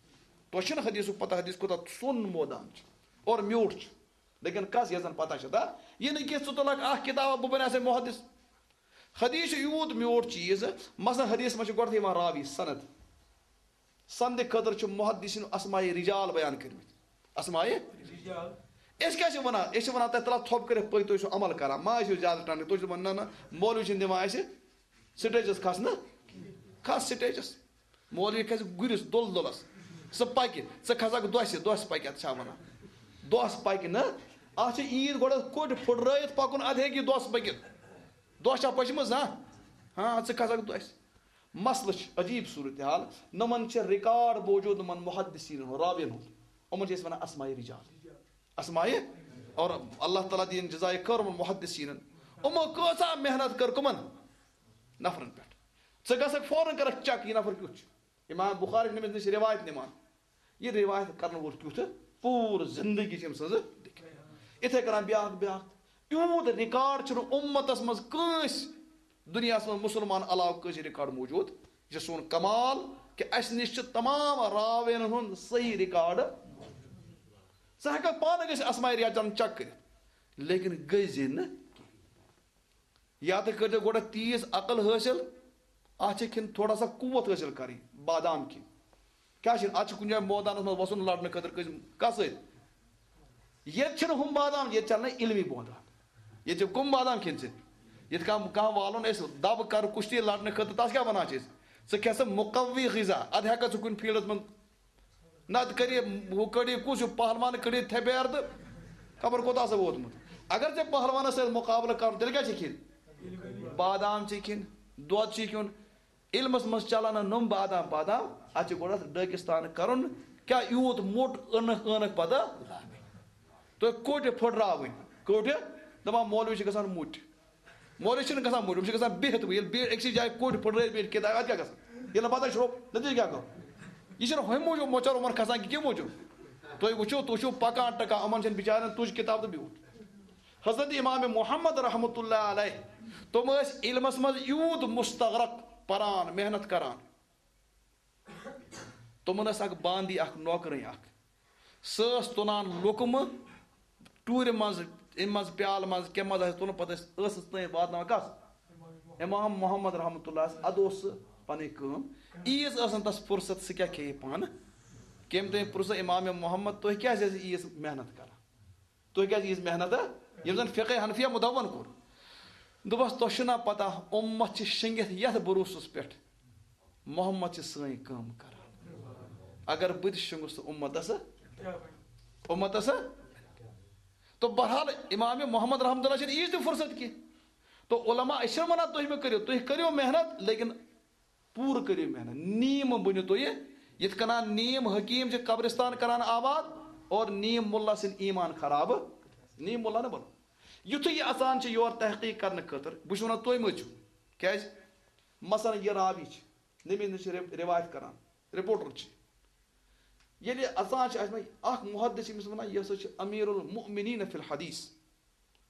تۄہہِ چھُنہٕ حدیثُک پتہ، حدیث کوٗتاہ سوٚن مٲدان چھُ اور میوٗٹھ چھُ۔ لیکن کس یتھ زن پتہ چھِ، دا، یہِ نہٕ کینٛہہ ژٕ تُلکھ اکھ کتاب، بہٕ بنہٕ ہا ژےٚ محدث۔ حدیث چھُ یوٗت میوٗٹھ چیٖز، مثلاً حدیث منٛز چھُ گۄڈٕ یِوان راوی سند۔ سندِ خٲطرٕ چھُ محدثین اسماء رجال بیان کٔرمٕتۍ۔ اسماء۔ رجال۔ أسۍ کیٛاہ چھِ وَنان؟ أسۍ چھِ وَنان تۄہہِ تَلہٕ تھوٚپ کٔرِتھ پٔکۍ، تُہۍ چھِو عمل کران، ما ٲسِو زیادٕ ٹنٛڈٕ، تُہۍ چھِو دَپان نہ نہ، مولوی چھِنہٕ دِوان اَسہِ سٹیجَس کھسنہٕ، کھس سٹیجَس۔ مولوی کھسہِ گُرِس دُل دُلس، ژٕ پکہِ، ژٕ کھسکھ دۄسہِ، دۄس پکہِ، اتھ چھا ونان؟ دۄس پکہِ نہٕ، اتھ چھِ عیٖد گۄڈٕ کوٚٹ پھُٹرٲیِتھ پکُن، ادٕ ہیٚکہِ یہِ دۄس پٔکِتھ۔ دۄس چھا پٔچمٕژ؟ ہاں، ہاں، ژٕ کھسکھ دۄسہِ۔ مسلہٕ چھُ عجیٖب صورتحال، نۄمن چھِ ریکارڈ موجود، نۄمن محدثیٖنن ہُنٛد، راوین ہُنٛد۔ یِمن چھِ أسۍ ونان اسماء رجال۔ اسماء، اور اللہ تعالیٰ دِیِن جزائے خیر یِمن محدثیٖنن۔ یِمو کۭژاہ محنت کٔر کٕمن نفرن پٮ۪ٹھ۔ ژٕ گژھکھ فوراً کرکھ چیک، یہِ نفر کیُتھ چھُ۔ امام بخاری چھُ أمِس نِش روایت نِوان۔ یہِ روایت کرن وول کیُتھ؟ پوٗرٕ زندگی چھِ أمۍ سٕنٛز۔ یِتھے کٔنۍ بیاکھ، بیاکھ۔ یوٗت ریکارڈ چھُنہٕ اُمتس منٛز کٲنٛسہِ دُنیاہس منٛز مُسلمان علاوٕ کٲنٛسہِ ریکارڈ موجود۔ یہِ چھُ سون کمال کہِ اسہِ نِش چھُ تمام راوین ہُنٛد صحیح ریکارڈ۔ ژٕ ہیٚککھ پانہٕ گٔژھِتھ اسماء رجالن چیک کٔرِتھ، لیکن گٔژھۍ زِ نہٕ۔ یا تہٕ کٔرۍزیو گۄڈٕ تیٖژ عقل حٲصِل، اَتھ چھِ کھٮ۪ن تھوڑا سا قوت حٲصِل کَرٕنۍ، بادام کھیٚنۍ۔ کیٛاہ چھِ اَتھ چھِ کُنہِ جایہِ مٲدانَس منٛز وَسُن لَڑنہٕ خٲطرٕ کٔژ-، کَس سۭتۍ؟ ییٚتہِ چھِنہٕ ہُم بادام، ییٚتہِ چَلنَے علمی بادام۔ ییٚتہِ چھِ کٕم بادام کھیٚنۍ ژےٚ؟ یِتھ کٔنۍ کانٛہہ والُن اَسہِ دَب کَرٕ کُشتی لَڑنہٕ خٲطرٕ، تَس کیٛاہ وَنان چھِ أسۍ؟ ژٕ کھےٚ سا مُقوی غذا، اَدٕ ہٮ۪کَکھ ژٕ کُنہِ فیٖلڈَس منٛز نتہٕ کٔرِو ہُہ کٔڑِو کُس ہیوٗ پہلوان کٔڑِو تھپیر تہٕ خبر کوٚت آسہٕ ووتمُت۔ اگر ژےٚ پہلوانس سۭتۍ مُقابلہٕ کرُن، تیٚلہِ کیٛاہ چھِ کھیٚنۍ؟ بادام چھِ کھیٚنۍ، دۄد چھِ کھیوٚن۔ علمس منٛز چلان نہٕ نۄم بادام پادام، اتھ چھِ گۄڈٕ اتھ ڈٲکِستان کرُن۔ کیٛاہ یوٗت موٚٹ ٲنکھ ٲنکھ پتہٕ؟ تُہۍ کوٚٹہِ پھٕٹراوٕنۍ، کوٚٹہِ؟ دپان مولوی چھِ گژھان مُٹۍ۔ مولوی چھِنہٕ گژھان مٔنٛڈۍ، یِم چھِ گژھان بِہِتھ۔ ییٚلہِ بیٚیہِ أکسٕے جایہِ کوٚٹھۍ پھٕٹرٲوِتھ بیٚیہِ کِتابہِ، اَتھ کیٛاہ گژھان؟ ییٚلہِ نہٕ پَتہٕ شرٛوٚپ، نتیٖجہٕ کیٛاہ گوٚو؟ یہِ چھِنہٕ ہُمہِ موٗجوٗب مۄچر یِمَن کھسان کہِ کَمہِ موٗجوٗب؟ تُہۍ وٕچھِو، تُہۍ چھِو پَکان ٹَکان، یِمَن چھَنہٕ بِچارٮ۪ن تُج کِتاب تہٕ بیوٗٹھ۔ حضرت امام محمد رحمتہ اللہ علیہ، تِم ٲسۍ علمَس منٛز یوٗت مستغرق، پَران، محنت کَران۔ تِمَن ٲس اَکھ باندی، اَکھ نوکرٕنۍ اَکھ۔ سۄ ٲس تُلان لُقمہٕ ٹوٗرِ منٛز، اَمہِ منٛز پیالہٕ منٛز، کَمہِ منٛز آسہِ تُلُن، پَتہٕ ٲسۍ ٲسَس تام واتناوان۔ کَس؟ امام محمد رحمتہ اللہ۔ اَدٕ اوس سُہ پَنٕنۍ کٲم۔ عیٖز ٲس نہٕ تَس فرصت، سُہ کیٛاہ کھیٚیہِ پانہٕ؟ کٔمۍ تٔمۍ پرٛژھ امام محمد، تُہۍ کیٛازِ ٲسِو عیٖز محنت کَران؟ تُہۍ کیٛازِ ییٖژ محنت، ہا؟ ییٚمۍ زَن فقہ حنفیہ مُدوَّن کوٚر۔ دوٚپُس، تۄہہِ چھُو نا پَتہ، اُمت چھِ شیٚنٛگِتھ یَتھ بروسَس پٮ۪ٹھ، محمد چھِ سٲنۍ کٲم کَران۔ اگر بہٕ تہِ شیٚنٛگُس تہٕ اُمتَس، اُمتَس۔ تو بہرحال، امام محمد رحمتہ اللہ چھِنہٕ ییٖژ تہِ فرصت کینٛہہ۔ تو علماء، أسۍ چھِنہٕ وَنان تُہۍ مہٕ کٔرِو، تُہۍ کٔرِو محنت، لیکن پوٗرٕ کٔرِو محنت، نیم بٔنِو تُہۍ۔ یِتھ کٔنۍ نیم حکیٖم چھِ قبرستان کران آباد اور نیم مُلا سٕنٛدۍ ایمان خراب، نیم مُلا نہٕ بَنو۔ یُتھُے یہِ اَژان چھِ یور تحقیٖق کرنہٕ خٲطرٕ، بہٕ چھُس وَنان تُہۍ مہٕ ٲسِو۔ کیٛازِ؟ مثلاً یہِ راوی چھِ، نبی نِش چھِ رِ-، رِوایت کران، رِپورٹر چھِ۔ ییٚلہِ اَژان چھِ اَتھ منٛز اَکھ محدث، چھِ أمِس وَنان، یہِ ہسا چھِ امیر المؤمنین فی الحدیث۔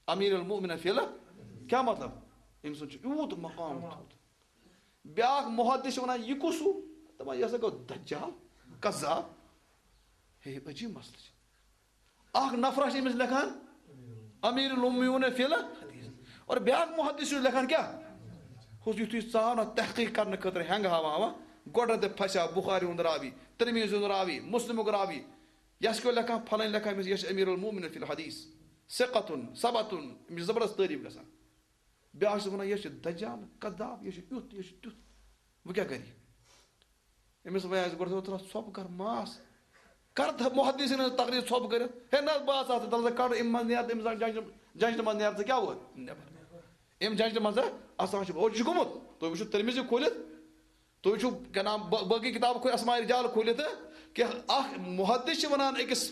امیر المؤمنین فی ال-، کیٛاہ مطلب؟ أمۍ سُنٛد چھُ یوٗت مقام تھوٚد۔ بیٛاکھ محدث چھُ وَنان، یہِ کُس ہیوٗ؟ دَپان، یہِ ہسا گوٚو دجال، کذاب۔ ہے، عجیٖب مسلہٕ چھُ۔ اکھ نفرا چھِ أمِس لیکھان، امیر المؤمنین فی ال-، اور بیٛاکھ محدث چھُ لیکھان کیٛاہ؟ ہُس یُتھُے ژاو نہ تحقیق کرنہٕ خٲطرٕ ہٮ۪نٛگ ہاوان ہاوان، گۄڈٕ تہِ پھسیو بخاری ہُنٛد راوی، ترمذی ہُنٛد راوی، مسلمُک راوی، یَس کیٛاہ لیکھان، پھلٲنۍ لیکھان أمِس، یہِ چھُ امیر المؤمنین فی الحدیث، ثقتن، ثبتن، أمِس چھِ زبردست تعریٖف گژھان۔ بیٛاکھ چھُس وَنان، یہِ چھُ دجال، کذاب، یہِ چھُ یُتھ، یہِ چھُ تیُتھ۔ وۄنۍ کیٛاہ کَرِ یہِ؟ أمِس وَنہِ آسہِ گۄڈٕ، تھوڑا ژھۄپہٕ کَر، ماس۔ کَر تھا-، محدثیٖنَن ہٕنٛز تقریر ژھۄپہٕ کٔرِتھ؟ ہے نہ، بہٕ آسہٕ اَتھ، دَپہٕ ژٕ کَڑ اَمہِ منٛز نیر، أمِس جنجہِ، جنجہِ منٛز نیر ژٕ کیٛاہ ووت نٮ۪بر؟ أمۍ جنجہِ منٛز اَژان چھُ، او، یہِ چھُ گوٚمُت۔ تُہۍ وٕچھِو ترمذی کھوٗلِتھ، تُہۍ وٕچھِو کیٛاہ نام، ب-، باقٕے کِتاب کھوٗلِتھ، اسماء رجال کھوٗلِتھ، کہِ اَکھ محدث چھِ وَنان أکِس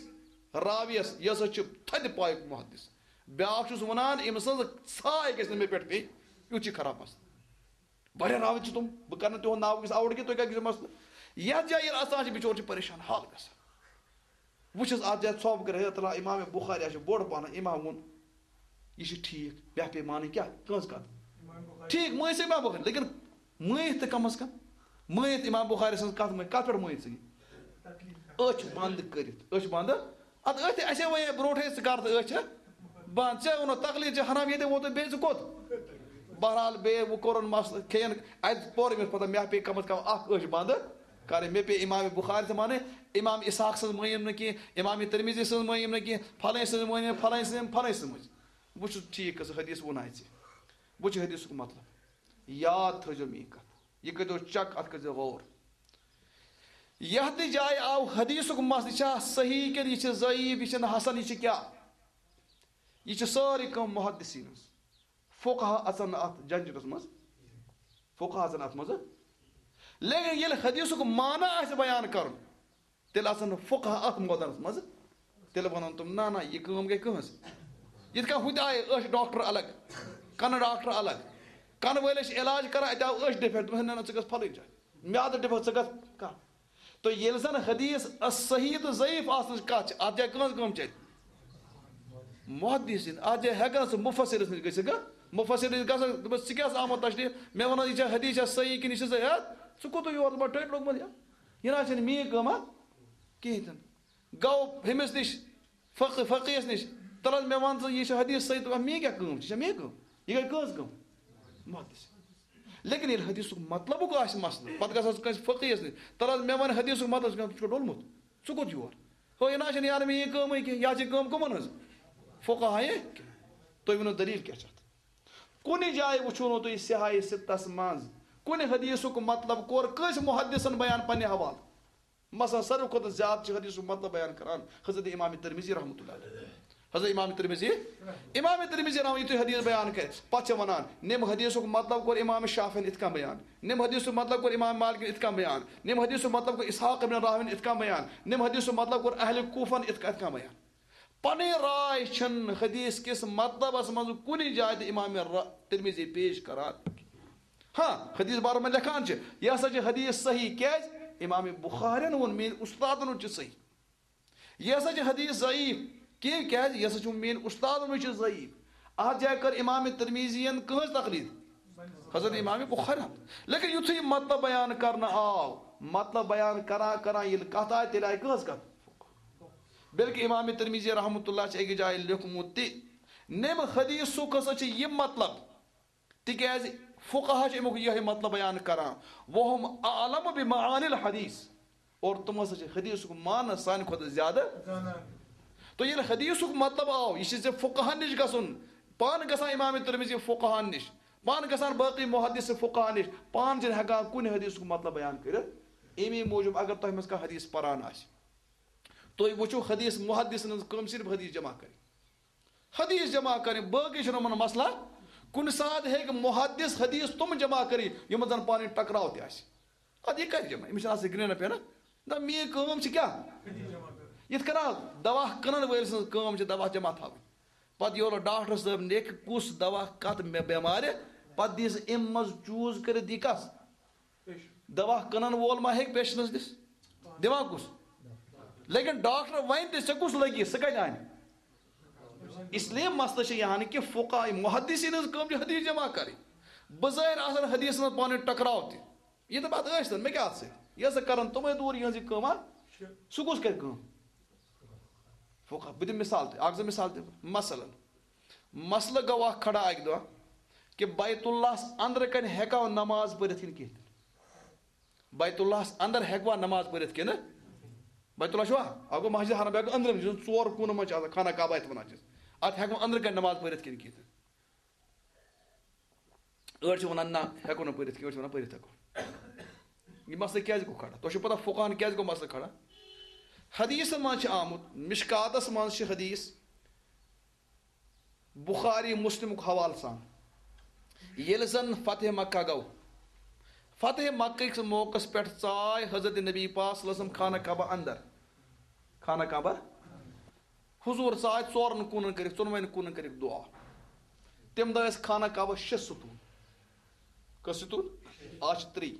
راویَس، یہِ ہسا چھُ تھدِ پایُک محدث۔ بیٛاکھ چھُس وَنان، أمۍ سٕنٛز ژھاے گژھِ نہٕ مےٚ پٮ۪ٹھ پیٚنۍ، یُتھ چھُ خراب مسلہٕ۔ واریاہ راوی چھِ تِم، بہٕ کَرٕ نہٕ تِہُنٛد ناو وٕنکیٚس آوُٹ کینٛہہ، تُہۍ کَتہِ گژھِو مسلہٕ؟ یَتھ جایہِ ییٚلہِ اَژان چھِ، بِچور چھِ پریشان حال گژھان۔ وٕچھِس اَتھ جایہِ ژھۄپہٕ کٔرِتھ، ہے تَلہ امام بخاری، اَسہِ چھُ بوٚڑ پَہَن امام ووٚن، یہِ چھُ ٹھیٖک، مےٚ پیٚیہِ مانٕنۍ کیٛاہ؟ کٕہٕنٛز کَتھ؟ ٹھیٖک، مٲنۍ سٕے امام بخاری، لیکن مٲنِتھ تہٕ کم از کم، مٲنِتھ امام بخاری سٕنٛز کَتھ مٲنۍ، کَتھ پٮ۪ٹھ مٲنۍ ژٕ یہِ؟ أچھ بنٛد کٔرِتھ، أچھ بنٛد۔ اَدٕ أتھۍ اَسے وَنے برونٛٹھٕے، ژٕ کَر تہٕ أچھ بنٛد۔ ژےٚ ووٚنُتھ تقلید چھِ حرام، ییٚتہِ ووتُے، بیٚیہِ ژٕ کوٚت؟ بہرحال، بیٚیہِ وۄنۍ کوٚرُن مسلہٕ، کھیٚیَن، اَتہِ پوٚر أمِس پَتہ، مےٚ پیٚیہِ کم از کم اَکھ أچھ بنٛد کَرٕنۍ۔ مےٚ پیٚیہِ امام بخاری تہِ مانٕنۍ، امام اسحاق سٕنٛز مٲنِم نہٕ کینٛہہ، امام ترمذی سٕنٛز مٲنِم نہٕ کینٛہہ، پھلٲنۍ سٕنٛز مٲنِم، پھلٲنۍ سٕنٛز، پھلٲنۍ سٕنٛز مٲنِم۔ بہٕ چھُس ٹھیٖک، کٔژ حدیث ووٚن اَسہِ۔ بہٕ چھُ حدیثُک مطلب۔ یاد تھٲیزیو میٛٲنۍ کَتھ۔ یہِ کٔرۍزیو چیک، اَتھ کٔرۍزیو غور۔ یتھ تہِ جایہِ آو حدیثُک مسلہٕ، یہِ چھا صحیح کِنہٕ یہِ چھِ ضعیف، یہِ چھِنہٕ حسن، یہِ چھِ کیٛاہ؟ یہِ چھِ سٲرٕے کٲم محدثین ہٕنٛز۔ فقہا اژن نہٕ اتھ جھنجھٹس منٛز، فقہا اژن اتھ منٛز۔ لیکن ییٚلہِ حدیثُک معنی آسہِ بیان کرُن، تیٚلہِ اژن نہٕ فقہا اتھ مٲدانس منٛز۔ تیٚلہِ ونن تِم، نہ نہ، یہِ کٲم گٔے کٕہٕنٛز؟ یِتھ کٔنۍ ہُتہِ آیہِ أچھ ڈاکٹر الگ، کنہٕ ڈاکٹر الگ، کنہٕ وٲلۍ ٲسۍ علاج کران، اتہِ آو أچھ ڈیفیکٹ، دوٚپُس، نہ نہ، ژٕ گژھ فلٲنۍ جایہِ، میادٕ ڈیفیکٹ، ژٕ گژھ کانٛہہ۔ تہٕ ییٚلہِ زن حدیث صحیح تہٕ ضعیف آسنٕچ کتھ چھِ، اتھ جایہِ کٕہٕنٛز کٲم چلہِ؟ محدثین۔ اتھ جایہِ ہٮ۪کان سُہ مفسرس نِش گٔژھِتھ، گا؟ مفسرس نِش گژھان، دوٚپُس، ژٕ کیٛاہ آمُت تشریح؟ مےٚ وَنان، یہِ چھا حدیث چھا صحیح کِنہٕ یہِ چھِ ضعیف؟ ژٕ کوٚت یور؟ ژٕ ما ٹٔٹۍ لوٚگمُت یا؟ یہِ نہ حظ چھَنہٕ میٛٲنۍ کٲم، ہا؟ کِہیٖنۍ تہِ نہٕ۔ گوٚو ہُمِس نِش، فقہ، فقیَس نِش، تَلہٕ حظ مےٚ وَن ژٕ، یہِ چھِ حدیث صحیح؟ دوٚپُن، میٛٲنۍ کیٛاہ کٲم چھِ؟ یہِ چھا میٛٲنۍ کٲم؟ یہِ گٔے کٕہٕنٛز کٲم؟ محدث۔ لیکن ییٚلہِ حدیثُک مطلبُک آسہِ مسلہٕ، پتہٕ گژھان سُہ کٲنٛسہِ فقیَس نِش، تَلہٕ حظ مےٚ وَن حدیثُک مطلب، ژٕ چھُکھ ڈوٚلمُت، ژٕ کوٚت یور؟ ہو، یہِ نہ چھَنہٕ یارٕ مےٚ یہِ کٲمٕے کینٛہہ، یہِ چھِ کٲم کٕمَن ہٕنٛز؟ فقہایہِ۔ تُہۍ ؤنِو دٔلیٖل کیٛاہ چھِ اَتھ؟ کُنہِ جایہِ وٕچھو نہٕ تُہۍ صحاحِ سِتَس منٛز کُنہِ حدیثُک مطلب کوٚر کٲنٛسہِ محدثن بیان پننہِ حوالہٕ۔ مثلاً، ساروی کھۄتہٕ زیادٕ چھِ حدیثُک مطلب بیان کران حضرت امام ترمذی رحمتہ اللہ علیہ۔ حضرت امام ترمذی، امام ترمذی رحمہ، یُتھُے حدیث بیان کرِ، پتہٕ چھِ ونان، نیم حدیثُک مطلب کوٚر امام شافعین اِتھ کٔنۍ بیان، نیم حدیثُک مطلب کوٚر امام مالکن اِتھ کٔنۍ بیان، نیم حدیثُک مطلب کوٚر اسحاق ابن راہوین اِتھ کٔنۍ بیان، نیم حدیثُک مطلب کوٚر اہل کوفن اِتھ کٔنۍ، اِتھ کٔنۍ بیان۔ پنٕنۍ راے چھِنہٕ حدیث کِس مطلبس منٛز کُنہِ جایہِ تہِ امام ر-، ترمذی پیش کران۔ ہاں، حدیث بارس منٛز لیکھان چھِ، یہِ ہسا چھِ حدیث صحیح۔ کیٛازِ؟ امام بخارین ووٚن، میٛٲنۍ استادن ووٚن چھِ صحیح۔ یہِ ہسا چھِ حدیث ضعیف۔ کیٛاہ؟ کیٛازِ؟ یہِ ہسا چھُ میٛٲنۍ استادن ووٚن چھِ ضعیف۔ اتھ جایہِ کٔر امام ترمذین کٕہٕنٛز تقلید؟ حضرت امام بخاری۔ لیکن یُتھُے مطلب بیان کرنہٕ آو، مطلب بیان کران کران ییٚلہِ کتھ آیہِ، تیٚلہِ آیہِ کٕہٕنٛز کتھ؟ بلکہ امام ترمذی رحمتہ اللہ چھِ أکِس جایہِ لیوٚکھمُت تہِ، نیم حدیثُک ہسا چھُ یہِ مطلب، تِکیٛازِ فقہا چھِ امیُک یِہوٚے مطلب بیان کران، وہم اعلم بمعانی الحدیث، اور تِم ہسا چھِ حدیثُک معنی سانہِ کھۄتہٕ زیادٕ۔ زانان۔ تو ییٚلہِ حدیثُک مطلب آو، یہِ چھِ ژےٚ فقہن نِش گژھُن، پانہٕ گژھان امام ترمذی فقہن نِش، پانہٕ گژھان باقٕے محدث فقہن نِش، پانہٕ چھِنہٕ ہٮ۪کان کُنہِ حدیثُک مطلب بیان کٔرِتھ۔ امی موٗجوٗب اگر تۄہہِ منٛز کانٛہہ حدیث پران آسہِ، تُہۍ وٕچھِو حدیث، محدثن ہٕنٛز کٲم صرف حدیث جمع کرٕنۍ۔ حدیث جمع کرٕنۍ، باقٕے چھُنہٕ یِمن مسلہ۔ کُنہِ ساتہٕ ہیٚکہِ محدث حدیث تِم جمع کٔرِتھ، یِمن زن پانہٕ ؤنۍ ٹکراو تہِ آسہِ۔ ادٕ یہِ کتہِ جمع؟ أمِس چھِنہٕ آسان گرٛینہ پینہ۔ نہ، میٛٲنۍ کٲم چھِ کیٛاہ؟ یِتھ کٔنۍ اکھ دوا کٕنن وٲلۍ سٕنٛز کٲم چھِ دوا جمع تھاوٕنۍ۔ پتہٕ یورٕ ڈاکٹر صٲب لیکھِ کُس دوا کتھ مےٚ بٮ۪مارِ، پتہٕ دِیہِ سُہ اَمہِ منٛز چوٗز کٔرِتھ، دِیہِ کس؟ دوا کٕنن وول ما ہیٚکہِ پیشنس دِتھ؟ دِوان کُس؟ لیکن ڈاکٹر ونہِ تہِ، ژےٚ کُس لگی، سُہ کتہِ انہِ؟ اس لیے مسئلہ چھُ یہِ ہن کہِ فقہا، محدثین ہٕنٛز کٲم چھِ حدیث جمع کرٕنۍ۔ بظٲہر آسن حدیثن منٛز پانہٕ ؤنۍ ٹکراو تہِ۔ یہِ تہٕ پتہٕ ٲسۍ تن، مےٚ کیٛاہ سۭتۍ؟ یہِ ہسا کرن تِمے دوٗر، یِہٕنٛز یہِ کٲم ہا۔ سُہ کُس کرِ کٲم؟ فقہا۔ بہٕ دِمہٕ مثال تہِ، اکھ زٕ مثال دِمہٕ۔ مثلاً، مسلہٕ گوٚو اکھ کھڑا اکہِ دۄہ کہِ بیت اللہس اندرٕ کنہِ ہیٚکوا نماز پٔرِتھ کِنہٕ کِہیٖنۍ تہِ نہٕ؟ بیت اللہس اندر ہیٚکوا نماز پٔرِتھ کِنہٕ؟ بیت اللہ چھُوا؟ اکھ گوٚو مسجد حرم، بیٛاکھ گوٚو أنٛدرِم، یُس زن ژور کوٗنہٕ منٛز چھِ آسان، خانہ کعبہ یتھ ونان چھِ۔ اتھ ہیٚکوا أنٛدرٕ کنہِ نماز پٔرِتھ کِنہٕ کِہیٖنۍ تہِ نہٕ؟ أڑۍ چھِ وَنان، نہ، ہٮ۪کو نہٕ پٔرِتھ کینٛہہ، أڑۍ چھِ وَنان، پٔرِتھ ہٮ۪کو۔ یہِ مسلہٕ کیٛازِ گوٚو کھڑا؟ تۄہہِ چھُو پَتہ، فقہَن کیٛازِ گوٚو مسلہٕ کھڑا؟ حدیثَن منٛز چھِ آمُت، مشکاتَس منٛز چھِ حدیث، بخاری مسلمُک حوالہٕ سان۔ ییٚلہِ زَن فتح مکہ گوٚو، فتح مکہ کِس موقعس پٮ۪ٹھ ژاے حضرت نبی پاک صلی اللہ علیہ وسلم خانہ کعبہ اندر۔ خانہ کعبہ۔ حضور ژاے ژورن کوٗنن کٔرِکھ، ژۄنوَے کوٗنن کٔرِکھ دُعا۔ تَمہِ دۄہ ٲسۍ خانہ کعبس شےٚ ستوٗن۔ کٔژ ستوٗن؟ آز چھِ ترٛےٚ۔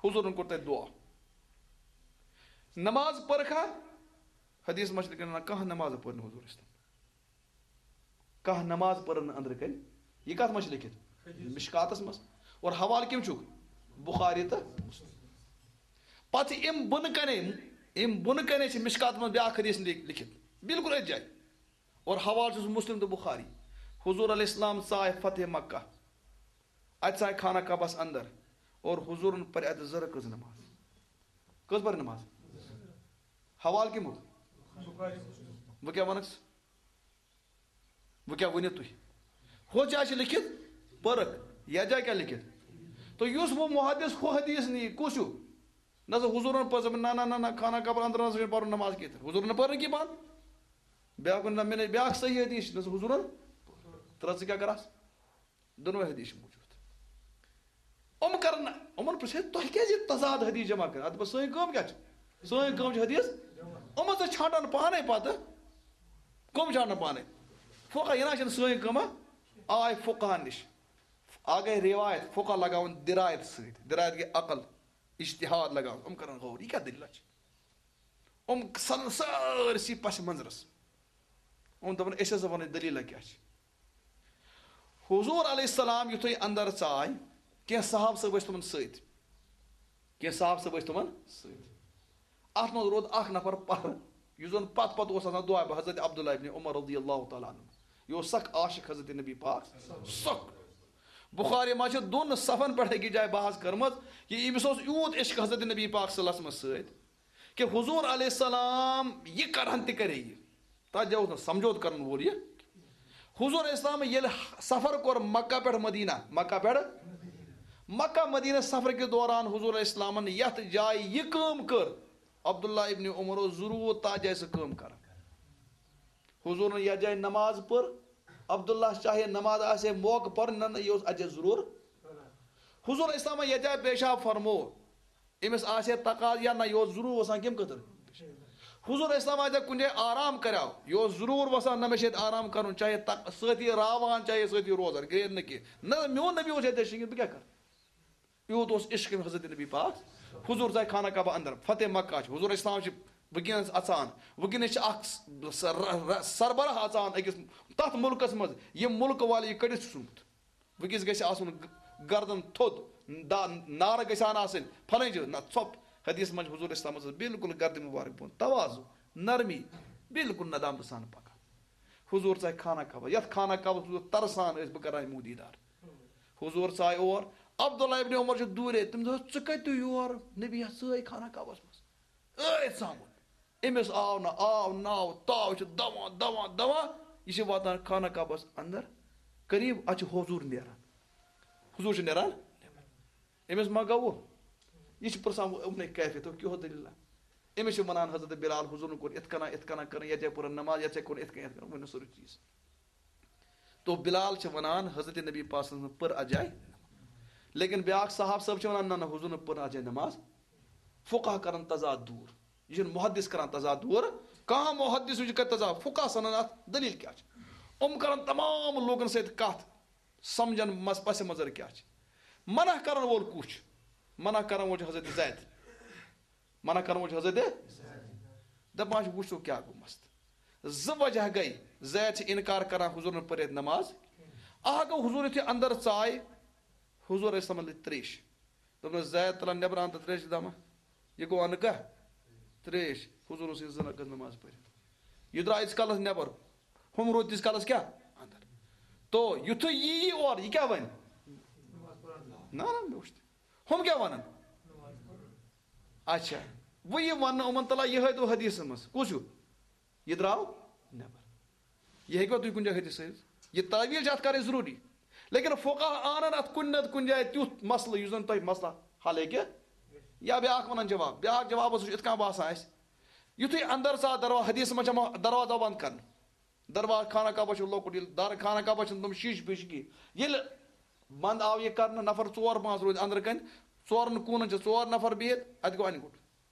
حضورن کوٚر تَتہِ دُعا۔ نماز پٔرکھا؟ حدیث منٛز چھِ لیکھان، نہ، کانٛہہ نماز پٔر نہٕ حضور اسلام۔ کانٛہہ نماز پٔرٕن نہٕ أنٛدرٕ کنہِ۔ یہِ کتھ منٛز چھِ لیٚکھِتھ؟ حدیث۔ مشکاتس منٛز۔ اور حوالہٕ کٔمۍ چھُکھ؟ بخاری تہٕ مسلم۔ پتہٕ چھِ اَمہِ بۄنہٕ کنے، اَمہِ بۄنہٕ کنے چھِ مشکاتس منٛز بیٛاکھ حدیث لیٚکھ-، لیٚکھِتھ۔ بالکل أتھۍ جایہِ۔ اور حوالہٕ چھُس مسلم تہٕ بخاری۔ حضور علیہ السلام ژاے فتح مکہ۔ اتہِ ژاے خانہ کعبس اندر۔ اور حضورن پرِ اتہِ زٕ رکٲژ نماز۔ کٔژ پرِ نماز؟ حوالہٕ کٔمیُک؟ وۄنۍ کیٛاہ ونکھ ژٕ؟ وۄنۍ کیٛاہ ؤنِو تُہۍ؟ ہُتھ جایہِ چھِ لیٚکھِتھ پٔرٕکھ، یَتھ جایہِ کیٛاہ لیٚکھِتھ؟ تہٕ یُس وۄنۍ محدث ہُہ حدیث نِیہِ، کُس ہیوٗ؟ نہ سا حضوٗرن پٔر زبٲنۍ، نہ، نہ، نہ، نہ، خانہ کعبہ اندر نہ سا چھُنہٕ پَرُن نماز کینٛہہ۔ حضوٗرن نہٕ پٔر نہٕ کینٛہہ پانہٕ۔ بیٛاکھ ووٚن، نہ، مےٚ نہٕ، بیٛاکھ صحیح حدیث چھِ، نہ سا حضوٗرن ترٛٲو ژٕ کیٛاہ کَرَس؟ دۄنوَے حدیث چھِ موٗجوٗد۔ یِم کَرَن نہٕ، یِمَن پرٛژھِ ہے، تۄہہِ کیٛازِ یہِ تضاد حدیث جمع کٔرِتھ؟ اَدٕ بہٕ، سٲنۍ کٲم کیٛاہ چھِ؟ سٲنۍ کٲم چھِ حدیث۔ یِمَن ژٕ چھانٛٹَن پانَے پَتہٕ۔ کٕم چھانٛٹَن پانَے؟ فقہ، یہِ نہ چھِنہٕ سٲنۍ کٲمہ۔ آے فقہَن نِش۔ آ گٔے رِوایت، فقہ لگاوُن دِرایت سۭتۍ۔ دِرایت گٔے عقل، اجتہاد لگاوُن۔ یِم کَرَن غور، یہِ کیٛاہ دٔلیٖلہ چھِ؟ یِم ژھٕنَن سٲرسٕے پس منظرس۔ یِم دَپَن، أسۍ ہسا وَنو دٔلیٖلہ کیٛاہ چھِ۔ حضوٗر علیہ السلام یُتھُے اندر ژاے، کینٛہہ صحابہٕ صٲب ٲسۍ تِمن سۭتۍ۔ کینٛہہ صحابہٕ صٲب ٲسۍ تِمن سۭتۍ۔ اَتھ منٛز روٗد اکھ نفر پَرٕ، یُس زَن پتہٕ پتہٕ اوس آسان دُعا، بہٕ حضرت عبداللہ ابن عمر رضی اللہ تعالیٰ عنہ۔ یہِ اوس سخ عاشق حضرت نبی پاک، سخ۔ بخاری منٛز چھِ دۄن صفن پٮ۪ٹھ أکِس جایہِ بحث کٔرمٕژ، یہِ أمِس اوس یوٗت عشق حضرت نبی پاک صلی اللہ علیہ وسلمس سۭتۍ۔ کہ حضور علیہ السلام یہِ کرہن تہِ کرے یہِ۔ تتھ جایہِ اوس نہٕ سمجھوتہٕ کرن وول یہِ۔ حضور علیہ السلام ییٚلہِ سفر کوٚر مکہ پٮ۪ٹھ مدینہ، مکہ پٮ۪ٹھ، مکہ مدینہ سفر کہِ دوران حضور علیہ السلامن یتھ جایہِ یہِ کٲم کٔر، عبداللہ ابن عمر اوس ضروٗر تتھ جایہِ سۄ کٲم کران۔ حضورن یتھ جایہِ نماز پٔر، عبداللہ چاہے نماز آسہِ ہے موقعہٕ پرُن، نہ، نہ، یہِ اوس اتھ جایہِ ضروٗر۔ حضور علیہ السلامن یتھ جایہِ پیشاب فرموو، أمِس آسہِ ہے تقاضہٕ یا نہ، یہِ اوس ضروٗر وَسان کَمہِ خٲطرٕ؟ حضور اسلام آسہِ ہا کُنہِ جایہِ آرام کَریو، یہِ اوس ضروٗر وَسان، نہ مےٚ چھِ ییٚتہِ آرام کَرُن، چاہے تق-، سۭتی راوان، چاہے سۭتی روزان، گرٛین نہٕ کینٛہہ۔ نہ، میون نبی اوس ییٚتہِ شِنگِتھ، بہٕ کیٛاہ کَرٕ؟ یوٗت اوس عشق أمۍ حضرت نبی پاک۔ حضور ژاے خانہ کعبہ اندر، فتح مکہ چھُ، حضور اسلام چھِ وٕنکیٚنَس اَژان۔ وٕنکیٚنَس چھِ اَکھ س-، ر-، ر-، سربراہ اَژان أکِس تَتھ مُلکَس منٛز، ییٚمہِ مُلکہٕ والہِ یہِ کٔڑِتھ چھُ ژھُنمُت۔ وٕنکیٚس گژھِ آسُن گ-، گردن تھوٚد، دا-، نارٕ گژھِ ہن آسٕنۍ، پھلٲنۍ جایہِ۔ نہ، ژھۄپ۔ حدیث منٛز چھِ حضور اسلامس ٲس بالکل گردِ مبارک بۄن، تواضع، نرمی، بالکل ندامتہٕ سان پکان۔ حضور ژاے خانہ کعبہ، یتھ خانہ کعبس حضور ترسان ٲسۍ، بہٕ کرٕ ہا یِمو دیٖدار۔ حضور ژاے اور، عبداللہ ابن عمر چھُ دوٗرے، تٔمۍ دوٚپ، "ژٕ کتہِ یور؟ نبی ہا ژٲے خانہ کعبس منٛز۔" ٲتھۍ ژامُت۔ أمِس آو نہٕ، آو ناو، تاو چھِ دوان، دوان، دوان۔ یہِ چھِ واتان خانہ کعبس اندر قریب، اتھ چھِ حضور نیران۔ حضور چھِ نیران۔ أمِس ما گوٚو؟ یہِ چھِ پرژھان، "ابن کیفیت، کیٛاہ دٔلیٖلہ؟" أمِس چھِ ونان حضرت بلال، "حضورن کوٚر اِتھ کٔنۍ، اِتھ کٔنۍ کٔرٕن، یتھ جایہِ پٔرٕن نماز، یتھ جایہِ کوٚرُن اِتھ کٔنۍ، اِتھ کٔنۍ"، ؤنِو سورُے چیٖز۔ تو بلال چھِ ونان، حضرت نبی پاک صلی اللہ علیہ وسلم پٔر اَتھ جایہِ۔ لیکن بیٛاکھ صحابہٕ صٲب چھِ ونان، "نہ، نہ، حضورن پٔر نہٕ اَتھ جایہِ نماز۔" فقہ کرن تضاد دوٗر۔ یہِ چھُنہٕ محدث کران تضاد دوٗر۔ کانٛہہ محدث وٕچھِ کرِ تضاد، فقہ سنن اَتھ دٔلیٖل کیٛاہ چھِ۔ یِم کرن تمام لوٗکن سۭتۍ کتھ، سمجھن مس-، پس منظر کیٛاہ چھِ۔ منع کرن وول کُس چھُ؟ منع کرن وول چھُ حضرت زید۔ منع کرن وول چھُ حضرت۔ دپان چھُ، وٕچھو کیٛاہ گوٚو مسلہٕ۔ زٕ وجہ گٔے، زید چھِ انکار کران حضورن پٔرِتھ نماز۔ اکھ گوٚو، حضور یُتھُے اندر ژاے، حضور ٲسۍ تِمن لٔگۍ تریش۔ دوٚپنس، "زید، تلان نٮ۪بر اَن تہٕ تریش دما۔ یہِ گوٚو اَنہٕ کانٛہہ تریش؟" حضور اوس یہِ زٕ رکعت نماز پٔرِتھ۔ یہِ درٛاو ییٖتِس کالس نٮ۪بر، ہُم روٗدۍ تیٖتِس کالس کیٛاہ؟ اندر۔ تو یُتھُے یی یہِ اورٕ، یہِ کیٛاہ وَنہِ؟ نہ، نہ، مےٚ وٕچھ تہِ۔ ہُم کیٛاہ وَنن؟ اچھا، وۄنۍ یہِ وَننہٕ یِمن، تَلہ یِہوٚے دوٚپ حدیثس منٛز۔ کُس ہیوٗ؟ یہِ درٛاو نٮ۪بر۔ یہِ ہیٚکوا تُہۍ کُنہِ جایہِ حدیث ہٲوِتھ؟ یہِ تعویٖل چھِ اَتھ کَرٕنۍ ضروٗری۔ لیکن فقہ آنن اَتھ کُنہِ نتہٕ کُنہِ جایہِ تیُتھ مسلہٕ یُس زن تۄہہِ مسلہٕ حل ہیٚکہِ۔ یا بیٛاکھ وَنان جواب، بیٛاکھ جواب اوس یِتھ کٔنۍ باسان اَسہِ۔ یُتھُے اندر ژاو دروا-، حدیثس منٛز چھِ یِوان، دروازٕ بنٛد کرنہٕ۔ دروازٕ، خانہ کعبہ چھُ لۄکُٹ، ییٚلہِ در-، خانہ کعبہ چھِنہٕ تِم شیٖشہٕ پیٖشہٕ کِہیٖنۍ۔ ییٚلہِ بنٛد آو یہِ کرنہٕ، نفر ژور پانٛژھ روٗدۍ أنٛدرٕ کنہِ، ژورن کوٗنن چھِ ژور نفر بِہِتھ، اَتہِ گوٚو اَنہِ گوٚٹ۔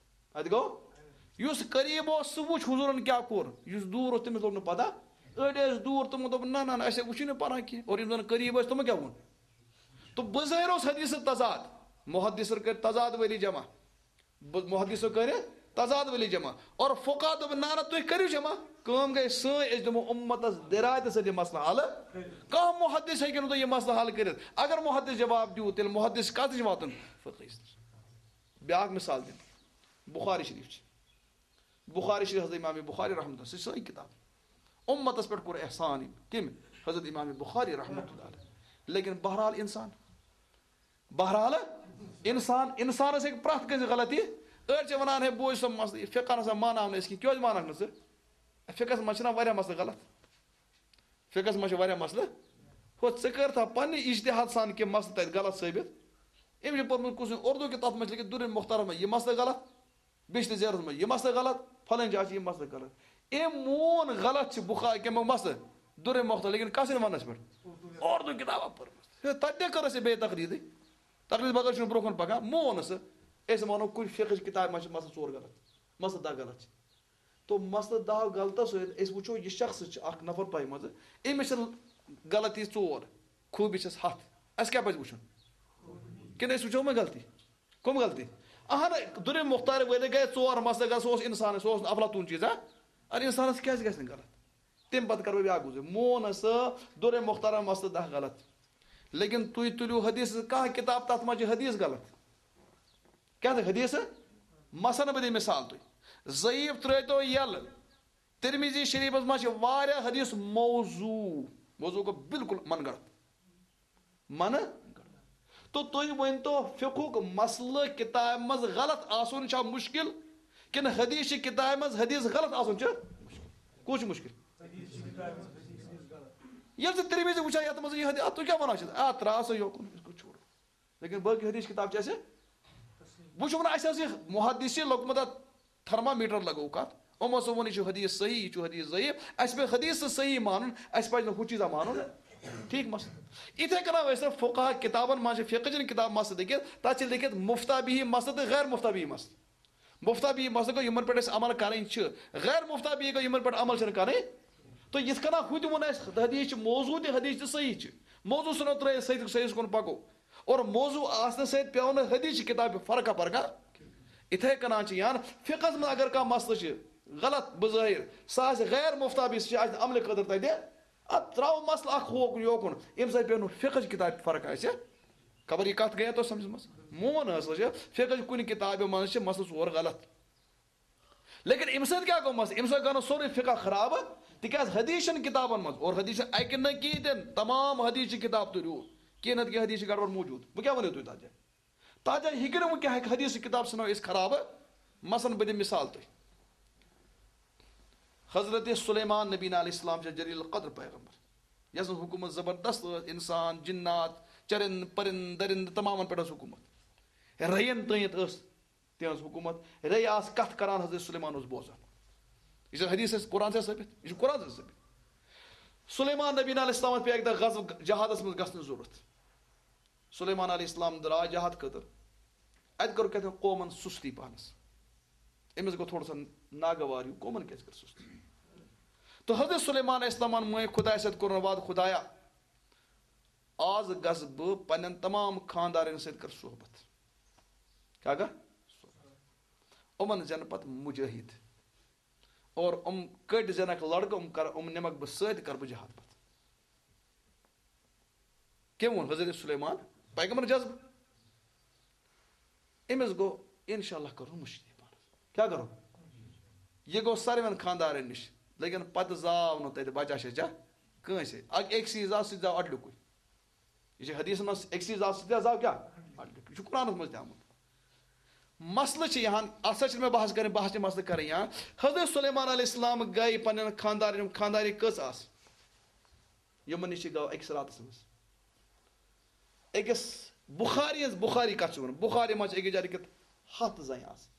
اَتہِ گوٚو؟ یُس قریب اوس، سُہ وُچھ حضوٗرن کیٛاہ کوٚر، یُس دوٗر اوس، تٔمِس لوٚگ نہٕ پتہ۔ أڑۍ ٲسۍ دوٗر، تِمو دوٚپ، "نہ، نہ، نہ، اَسہِ ہے وٕچھُے نہٕ پران کینٛہہ۔" اور یِم زن قریب ٲسۍ، تِمو کیٛاہ ووٚن؟ تہٕ بظٲہر اوس حدیث تضاد، محدثن کٔرۍ تضاد وٲلی جمع۔ ب-، محدثو کٔرِ تضاد وٲلی جمع۔ اور فقہ دوٚپ، "نہ، نہ، تُہۍ کٔرِو جمع۔" کٲم گٔے سٲنۍ، أسۍ دِمو اُمتس دِرایتہٕ سۭتۍ یہِ مسلہٕ حل۔ کانٛہہ محدث ہیٚکہِ نہٕ تۄہہِ یہِ مسلہٕ حل کٔرِتھ۔ اگر محدث جواب دیُت، تیٚلہِ محدث کتھ نِش واتُن؟ فقہس نِش۔ بیٛاکھ مثال دِمہٕ۔ بخاری شریف چھِ۔ بخاری شریف، حضرت امام بخاری رحمۃ اللہ، سُہ چھِ سٲنۍ کتاب۔ اُمتس پٮ۪ٹھ کوٚر احسان أمۍ۔ کٔمۍ؟ حضرت امام بخاری رحمۃ اللہ علیہ۔ لیکن بہرحال انسان، بہرحال، انسان، انسانس ہیٚکہِ پرٛٮ۪تھ کٲنٛسہِ غلطی۔ أڑۍ چھِ ونان، "ہے، بوز سا مسلہٕ، یہِ فقہ نسا ماناو نہٕ أسۍ کینٛہہ۔" کیٛازِ مانکھ نہٕ ژٕ؟ فقہس منٛز چھِنہ واریاہ مسلہٕ غلط۔ فقہس منٛز چھِ واریاہ مسلہٕ۔ ہُہ، ژٕ کٔرتھا پننہِ اجتہاد سان کینٛہہ مسلہٕ تتہِ غلط ثٲبت؟ أمۍ چھُ پوٚرمُت کُس اردو کہِ تَتھ منٛز چھِ لیکِتھ درِ مختارَس منٛز یہِ مسلہٕ غلط، بیٚیہِ چھِ زیرَس منٛز یہِ مسلہٕ غلط، فلٲنۍ جایہِ چھِ یہِ مسلہٕ غلط۔ أمۍ مون غلط چھِ بُخاری کَمیُک مسلہٕ؟ درِ مختار، لیکن کَس وَنَس پٮ۪ٹھ؟ اردو کِتابہ پٔرمٕژ۔ ہے، تَتہِ تہِ کٔر اَسہِ بیٚیہِ تقلیٖدٕے۔ تقلیٖد بغٲر چھُنہٕ برونٛہہ کُن پَکان۔ مون نہٕ سُہ۔ أسۍ وَنو کُنہِ فقہٕچ کِتابہِ منٛز چھِ مسلہٕ ژور غلط، مسلہٕ دَہ غلط چھِ۔ تو مسلہٕ دَہ غلطو سۭتۍ أسۍ وٕچھو، یہِ شخص چھِ اَکھ نفر تۄہہِ منٛزٕ، أمِس چھِ غلطی ژور، خوٗبی چھَس ہَتھ۔ اَسہِ کیٛاہ پَزِ وٕچھُن؟ کِنہٕ أسۍ وٕچھو وۄنۍ غلطی؟ کٕم غلطی؟ اہن، دُرِ مختار وٲلِتھ گٔے ژور مسلہٕ غلط، سُہ اوس اِنسانَے، سُہ اوس نہٕ افلاطوٗن چیٖزا۔ اَدٕ اِنسانَس کیٛازِ گژھِ نہٕ غلط؟ تَمہِ پَتہٕ کَرٕ بہٕ بیٛاکھ گُزٲرِش، مون ہسا دُرِ مختار مسلہٕ دَہ غلط، لیکن تُہۍ تُلِو حدیث کانٛہہ کِتاب، تَتھ منٛز چھِ حدیث غلط۔ کیٛاہ تہٕ حدیث؟ مثلاً بہٕ دِمہٕ مثال تُہۍ۔ ضعیف ترٛٲوۍتو یَلہٕ۔ ترمذی شریفس منٛز چھِ واریاہ حدیث موضوع۔ موضوع گوٚو بالکل من گڑھ۔ من گڑھ۔ تو تُہۍ ؤنۍتو، فقہُک مسلہٕ کِتابہِ منٛز غلط آسُن چھا مُشکل، کِنہٕ حدیث چہِ کِتابہِ منٛز حدیث غلط آسُن چھُ مُشکل؟ کُس چھُ مُشکل؟ ییٚلہِ ژٕ ترمذی وٕچھان یَتھ منٛز یہِ حدیث، اَتھ تُہۍ کیٛاہ وَنان چھِو؟ آ، ترٛاو سا یوکُن، أسۍ گوٚو چھوڑو۔ لیکن باقی حدیث کتاب چھِ اَسہِ وٕچھُکھ نہٕ اَسہِ، ٲس یہِ محدثی لوٚگمُت اَتھ تھرمامیٹر لگووُکھ اَتھ۔ یِمو ہسا ووٚن، یہِ چھُ حدیث صحیح، یہِ چھُ حدیث ضعیف۔ اَسہِ پَزِ نہٕ ہُہ چیٖزا مانُن، اَسہِ پَزِ نہٕ ہُہ چیٖزا مانُن۔ ٹھیٖک مسلہٕ۔ یِتھَے کٔنۍ ٲسۍ نہٕ فقہا کِتابَن منٛز چھِ فقہ چٮ۪ن کِتاب مسلہٕ لیکھِتھ، تَتھ چھِ لیکھِتھ مفتہ بِہی مسلہٕ تہٕ غیر مفتہ بِہی مسلہٕ۔ مفتہ بِہی مسلہٕ گوٚو یِمَن پٮ۪ٹھ اَسہِ عمل کَرٕنۍ چھِ، غیر مفتہ بِہی گوٚو یِمَن پٮ۪ٹھ عمل چھِنہٕ کَرٕنۍ۔ تہٕ یِتھ کٔنۍ ہُہ تہِ ووٚن اَسہِ، حدیث چھِ موضوع تہِ، حدیث تہِ صحیح چھِ۔ موضوع ژھٕنو ترٛٲیِتھ، صحیح، صحیحَس کُن پَکو۔ اور موضوع آسنہٕ سۭتۍ پیٚو نہٕ حدیث چہِ کِتابہِ فرقہ فرقہ۔ اِتھَے کٔنۍ چھِ یَن فقہَس منٛز اگر کانٛہہ مسلہٕ چھِ غلط بظٲہِر، سُہ آسہِ غیر مفتہ بِہی، سُہ چھِ اَسہِ عملہِ خٲطرٕ تَتہِ، اَتھ ترٛاوو مسلہٕ اَکھ ہوکُن یوکُن، اَمہِ سۭتۍ پیٚو نہٕ فقہٕچ کِتابہِ فرق اَسہِ۔ خبر یہِ کَتھ گٔیا تۄہہِ سَمجھَس منٛز؟ مون حٲصِل چھِ فقہٕچ کُنہِ کِتابہِ منٛز چھِ مسلہٕ ژور غلط۔ لیکن اَمہِ سۭتۍ کیٛاہ گوٚو مسلہٕ؟ اَمہِ سۭتۍ گوٚو نہٕ سورُے فقہ خراب، تِکیٛازِ حدیث چھَنہٕ کِتابَن منٛز، اور حدیث چھِ اَکہِ نہ کِہیٖنۍ تہِ نہٕ، تمام حدیث چھِ کِتاب تُلِو، کینٛہہ نَتہٕ کینٛہہ حدیث چھِ گڑبڑ موجود۔ وۄنۍ کیٛاہ ؤنِو تُہۍ تَتھ جایہِ؟ تَتھ جایہِ ہیٚکہِ نہٕ وۄنۍ کینٛہہ حدیث کِتاب ژھٕنو أسۍ خراب۔ مثلاً بہٕ دِمہٕ مِثال تۄہہِ۔ حضرت سلیمان نبی علیہ السلام چھِ جلیل القدر پیغمبر، یَس نہٕ حکوٗمت زبردست ٲس، اِنسان، جِنات، چرند، پرند، درند، تمامَن پٮ۪ٹھ ٲس حکوٗمت۔ رَیَن تٲنِتھ ٲس تِہٕنٛز حکوٗمت۔ رَے آسہٕ کَتھ کَران، حضرت سلیمان اوس بوزان۔ یہِ چھُ حدیث اَسہِ قرآن سۭتۍ ثٲبت، یہِ چھُ قرآن سۭتۍ ثٲبت۔ سلیمان نبی علیہ السلام پیٚیہِ اَکہِ دۄہ غزوہٕ جہادَس منٛز گژھنٕچ ضروٗرت۔ سلیمان علیہ السلام درٛاو جہاد خٲطرٕ۔ اَتہِ کٔر کیٛاہ تام قومَن سُستی پَہنَس۔ أمِس گوٚو تھوڑا سا ناگوار ہیوٗ، قومَن کیٛازِ کٔر سُستی؟ تہٕ حضرت سلیمان علیہ السلامَن مٲنۍ خۄدایَس سۭتۍ کوٚرُن وعدٕ، خۄدایا، آز گژھٕ بہٕ پنٛنٮ۪ن تمام خانٛدارٮ۪ن سۭتۍ کَرٕ صحبت۔ کیٛاہ کَرٕ؟ صحبت۔ یِمَن زینہٕ پَتہٕ مُجٲہِد۔ اور یِم کٔٹۍ زینَکھ لڑکہٕ، یِم کَرٕ، یِم نِمَکھ بہٕ سۭتۍ، کَرٕ بہٕ جہاد پَتہٕ۔ کٔمۍ ووٚن؟ حضرت سلیمان پیغمبر جذبہٕ۔ أمِس گوٚو، اِنشاء اللہ کَرو مُشکِل پانَس۔ کیٛاہ کَرو؟ یہِ گوٚو ساروِیَن خانٛدارَن نِش، لیکن پَتہٕ زاو نہٕ تَتہِ بَچا شَچا کٲنٛسے۔ اَکھ أکۍ سٕے زاو، سُہ تہِ زاو اَڈلیُکُے۔ یہِ چھِ حدیثَن منٛز، أکۍ سٕے زاو، سُہ تہِ زاو کیٛاہ؟ اَڈلیُکُے۔ یہِ چھُ قرآنَس منٛز تہِ آمُت۔ مسلہٕ چھِ یِہَن، اَتھ سۭتۍ چھِنہٕ مےٚ بحث کَرٕنۍ، بحث چھِ مسلہٕ کَرٕنۍ یِہَن۔ حضرت سلیمان علیہ السلام گٔے پنٛنٮ۪ن خانٛدارٮ۪ن، خانٛدارِ کٔژ آسہٕ؟ یِمَن نِش یہِ گوٚو أکِس راتَس منٛز۔ أکِس بُخاری ہٕنٛز، بُخاری کَتھ چھِ وَنان؟ بُخاری منٛز چھِ أکِس جایہِ لیٚکھِتھ ہَتھ زَنہِ آسہٕ۔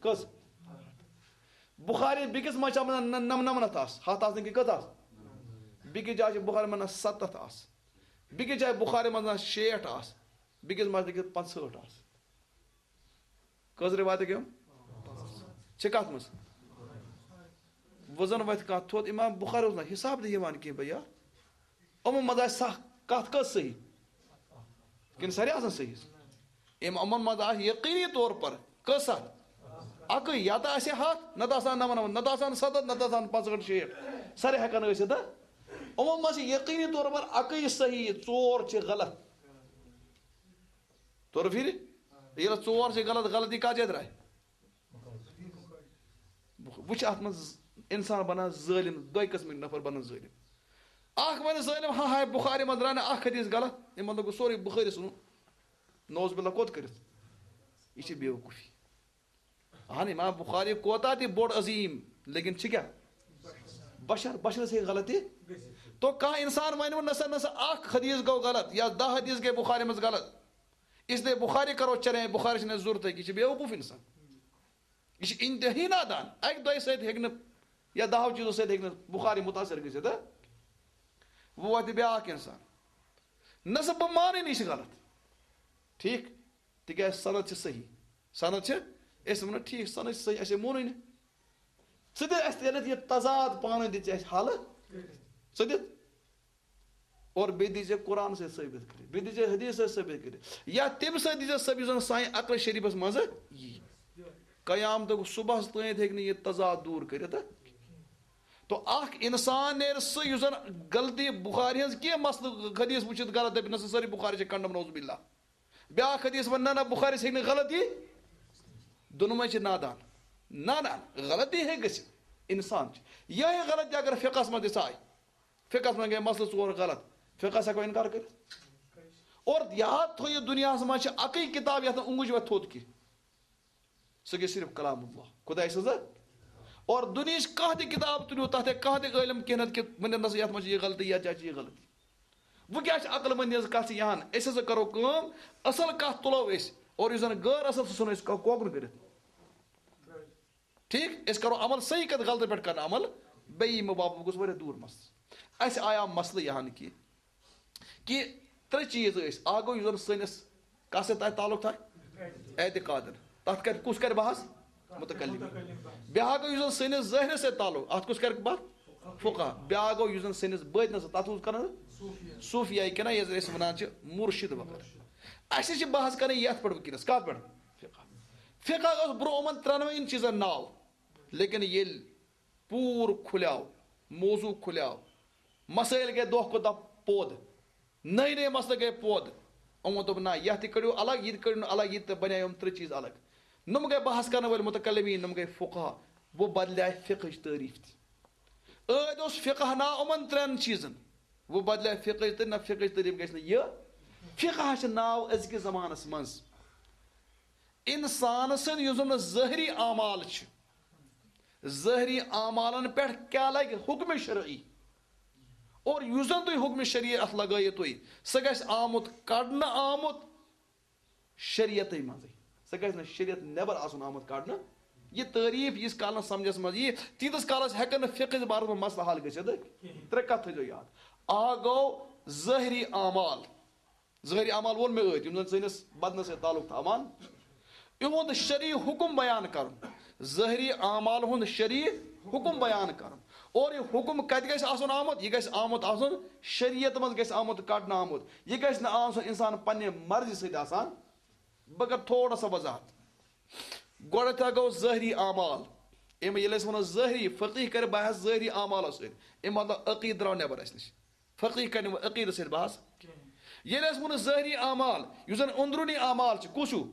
کٔژ؟ بُخاری بیٚکِس منٛز چھِ اَتھ منٛز نَم-، نَمنَمَتھ آسہٕ۔ ہَتھ آسہٕ نہٕ کینٛہہ، کٔژ آسہٕ؟ بیٚکِس جایہِ چھِ بُخاری منٛز شیٹھ آسہٕ۔ بیٚکِس منٛز چھِ لیٚکھِتھ پانٛژہٲٹھ آسہٕ۔ کٔژ رِوایتہٕ گٔے یِم؟ چھِ کَتھ منٛز؟ وۄنۍ زَن وَتھِ کانٛہہ تھوٚد، اِمام بُخاری اوس نہٕ حِساب تہِ یِوان کینٛہہ، بھیا۔ یِمو منٛز آسہِ سَکھ کَتھ کٔژ صحیح؟ کِنہٕ سارے آسان صحیح؟ یِم یِمَن منٛز آسہِ یقیٖنی طور پر کٔژ سَتھ؟ اَکٕے، یا تہٕ آسہِ ہَتھ، نَتہٕ آسان نَمنَمَتھ، نَتہٕ آسان سَتَتھ، نَتہٕ آسان پانٛژہٲٹھ، شیٹھ۔ سارے ہٮ۪کَن ٲسِتھ، تہٕ یِمو منٛز چھِ یقیٖنی طور پر اَکٕے صحیح، ژور چھِ غلط۔ تورٕ پھِرِ؟ ییٚلہِ ژور چھِ غلط، غلطی کَتھ جایہِ درٛاے؟ وٕچھ، اَتھ منٛز اِنسان بَنان ظٲلِم، دۄیہِ قٕسمٕکۍ نفر بَنان ظٲلِم۔ اَکھ وَنہِ ظٲلِم، ہا ہاے، بُخاری منٛز درٛاو نہٕ اَکھ حدیٖث غلط، یِمَن لوٚگ سورُے بُخٲرِس ووٚن، نعوذ باللہ، کوٚت کٔرِتھ؟ یہِ چھِ بیوقوٗفی۔ اَہَن، اِمام بُخاری کوتاہ تہِ بوٚڑ عظیٖم، لیکن چھِ کیٛاہ؟ بشر، بشرَس ہیٚکہِ غلطی۔ تو کانٛہہ اِنسان وَنہِ وۄنۍ، نہ سا، نہ سا، اَکھ حدیٖث گوٚو غلط یا دَہ حدیٖث گٔے بُخاری منٛز غلط، اس لیے بخاری کرو چلیں، بخاری چھنہٕ ضرورت، یہِ چھُ بیوقوف انسان، یہِ چھُ انتہٲیی نادان۔ اکہِ دۄیہِ سۭتۍ ہیٚکہِ نہٕ یا دہو چیٖزو سۭتۍ ہیٚکہِ نہٕ بخاری متاثر گٔژھِتھ، ہہ؟ وۄنۍ واتہِ بیٛاکھ انسان، نہ سا بہٕ مانٕے نہٕ، یہِ چھُ غلط، ٹھیٖک؟ تِکیٛازِ سند چھِ صحیح، سند چھِ، أسۍ وَنو ٹھیٖک، سند چھِ صحیح، اَسے مونٕے نہٕ۔ ژٕ دِ اَسہِ تیٚلہِ یہِ تضاد پانہٕ ؤنۍ، دِ ژٕ اَسہِ حل، ژٕ دِ۔ اور بیٚیہِ دی ژےٚ قرآن سۭتۍ ثٲبت کٔرِتھ، بیٚیہِ دی ژےٚ حدیث سۭتۍ ثٲبت کٔرِتھ، یا تَمہِ سۭتۍ دی ژےٚ سۄ، یُس زَن سانہِ عقل شریٖفَس منٛز یی۔ قیامتُک صُبحَس تانۍ ہیٚکہِ نہٕ یہِ تضاد دوٗر کٔرِتھ۔ تو اکھ انسان نیرِ سُہ، یُس زَن غلطی بخاری ہٕنٛز کینٛہہ مسلہٕ حدیث وٕچھِتھ غلط دَپہِ، نہ سا سٲرٕے بخاری چھِ کنڈم، نعوذ باللہ۔ بیٛاکھ حدیث وَنہِ، نہ، نہ، بخاری ہیٚکہِ نہٕ غلط یی، دۄنوَے چھِ نادان۔ نہ، نہ، غلطی ہیٚکہِ گٔژھِتھ، انسان چھِ۔ یِہے غلطی اگر فقہس منٛز تہِ ژایہِ، فقہس منٛز گٔے مسلہٕ ژور غلط، فقہس ہٮ۪کو انکار کٔرِتھ؟ اور یاد تھٲیِو، دُنیاہس منٛز چھِ اکٕے کتاب یتھ نہٕ اونٛگُج وتھِ تھوٚد کینٛہہ، سُہ گٔے صرف کلام اللہ، خداے سٕنٛز۔ اور دُنیہٕچ کانٛہہ تہِ کتاب تُلِو، تتھ ہیٚکہِ کانٛہہ تہِ عٲلم کینٛہہ نتہٕ کینٛہہ ؤنِتھ، نہ سا یتھ منٛز چھِ یہِ غلطی، یتھ جایہِ چھِ یہِ غلطی۔ وۄنۍ کیٛاہ چھِ عقل مندی ہٕنٛز کتھ چھِ یہِ ہن؟ أسۍ ہسا کرو کٲم، اصل کتھ تُلو أسۍ، اور یُس زن غٲر اصل، سُہ ژھٕنو أسۍ کو-، کوکُن کٔرِتھ۔ ٹھیٖک، أسۍ کرو عمل صحیح کتھ، غلطہٕ پٮ۪ٹھ کرنہٕ عمل۔ بیٚیہِ یِمو باپتھ گوٚژھ واریاہ دوٗر مسلہٕ۔ اسہِ آیاو مسلہٕ یہِ ہن کہِ، کہِ ترٛےٚ چیٖز ٲسۍ۔ اکھ گوٚو یُس زن سٲنِس کتھ سۭتۍ تۄہہِ تعلق تھایہِ؟ اعتقادن۔ تتھ کرِ، کُس کرِ بحث؟ متکلم۔ بیٛاکھ گوٚو یُس زن سٲنِس ظٲہرس سۭتۍ تعلق، اتھ کُس کرِ بحث؟ فقہ۔ بیٛاکھ گوٚو یُس زن سٲنِس بٲطنس سۭتۍ، تتھ کُس کران؟ صوفیہ کِنہٕ یتھ أسۍ ونان چھِ مرشد وغیرہ۔ اسہِ چھِ بحث کرٕنۍ یتھ پٮ۪ٹھ وٕنکیٚنس، کتھ پٮ۪ٹھ؟ فقہ۔ فقہ اوس برونٛہہ یِمن ترٛٮ۪نوَے چیٖزن ناو، لیکن ییٚلہِ پوٗرٕ کھُلیو، موضوع کھُلیو، مسٲیل گٔے دۄہ کھۄتہٕ دۄہ پود، نٔے نٔے مسلہٕ گٔے پود۔ یِمو دوٚپ، نہ، یَتھ تہِ کٔڑِو الگ، یہِ تہِ کٔڑِو نہٕ الگ، یہِ تہِ بنے یِم ترٛےٚ چیٖز الگ۔ نۄم گٔے بحث کرن وٲلۍ متکلمین، نۄم گٔے فقہا۔ وۄنۍ بدلیٛاے فقہٕچ تعریٖف تہِ۔ ٲدۍ اوس فقہ ناو یِمن ترٛٮ۪ن چیٖزن، وۄنۍ بدلیٛاے فقہٕچ تعریٖف، نہ، فقہٕچ تعریٖف گژھِ نہٕ یہِ۔ فقہ چھِ ناو أزکِس زمانس منٛز انسان سٕنٛدۍ یُس زن ظٲہری اعمال چھِ، ظٲہری اعمالن پٮ۪ٹھ کیٛاہ لگہِ حکم شرعی، اور یُس زن تُہۍ حکم شریعت لگٲیِو تُہۍ، سُہ گژھِ آمُت کڑنہٕ آمُت شریعتٕے منٛزٕے، سُہ گژھِ نہٕ شریعت نٮ۪بر آسُن آمُت کڑنہٕ۔ یہِ تعریٖف ییٖتِس کالس سمجھس منٛز یی، تیٖتِس کالس ہٮ۪کن نہٕ فقہٕچ بارس منٛز مسلہٕ حل گٔژھِتھ۔ ترٛےٚ کتھ تھٲیزیو یاد۔ اکھ گوٚو ظٲہری اعمال، ظٲہری اعمال ووٚن مےٚ ٲدۍ، یِم زن سٲنِس بدنس سۭتۍ تعلق تھاوان، یِہُنٛد شرعی حکم بیان کرُن۔ ظٲہری اعمال ہُنٛد شرعی حکم بیان کرُن۔ اور یہِ حکم کتہِ گژھِ آسُن آمُت؟ یہِ گژھِ آمُت آسُن شریعت منٛز، گژھِ آمُت کڑنہٕ آمُت۔ یہِ گژھِ نہٕ آسُن انسان پننہِ مرضی سۭتۍ آسان۔ بہٕ کرٕ تھوڑا سا وضاحت۔ گۄڈٕنیتھ گوٚو ظٲہری اعمال۔ اَمہِ ییٚلہِ أسۍ وَنو ظٲہری، فقیٖح کرِ بحث ظٲہری اعمالو سۭتۍ۔ اَمہِ مطلب عقیٖدٕ درٛاو نٮ۪بر اَسہِ نِش۔ فقیٖح کرِ نہٕ وۄنۍ عقیٖدس سۭتۍ بحث کینٛہہ۔ ییٚلہِ أسۍ ووٚنُس ظٲہری اعمال، یُس زن أنٛدروٗنی اعمال چھِ، کُس ہیوٗ؟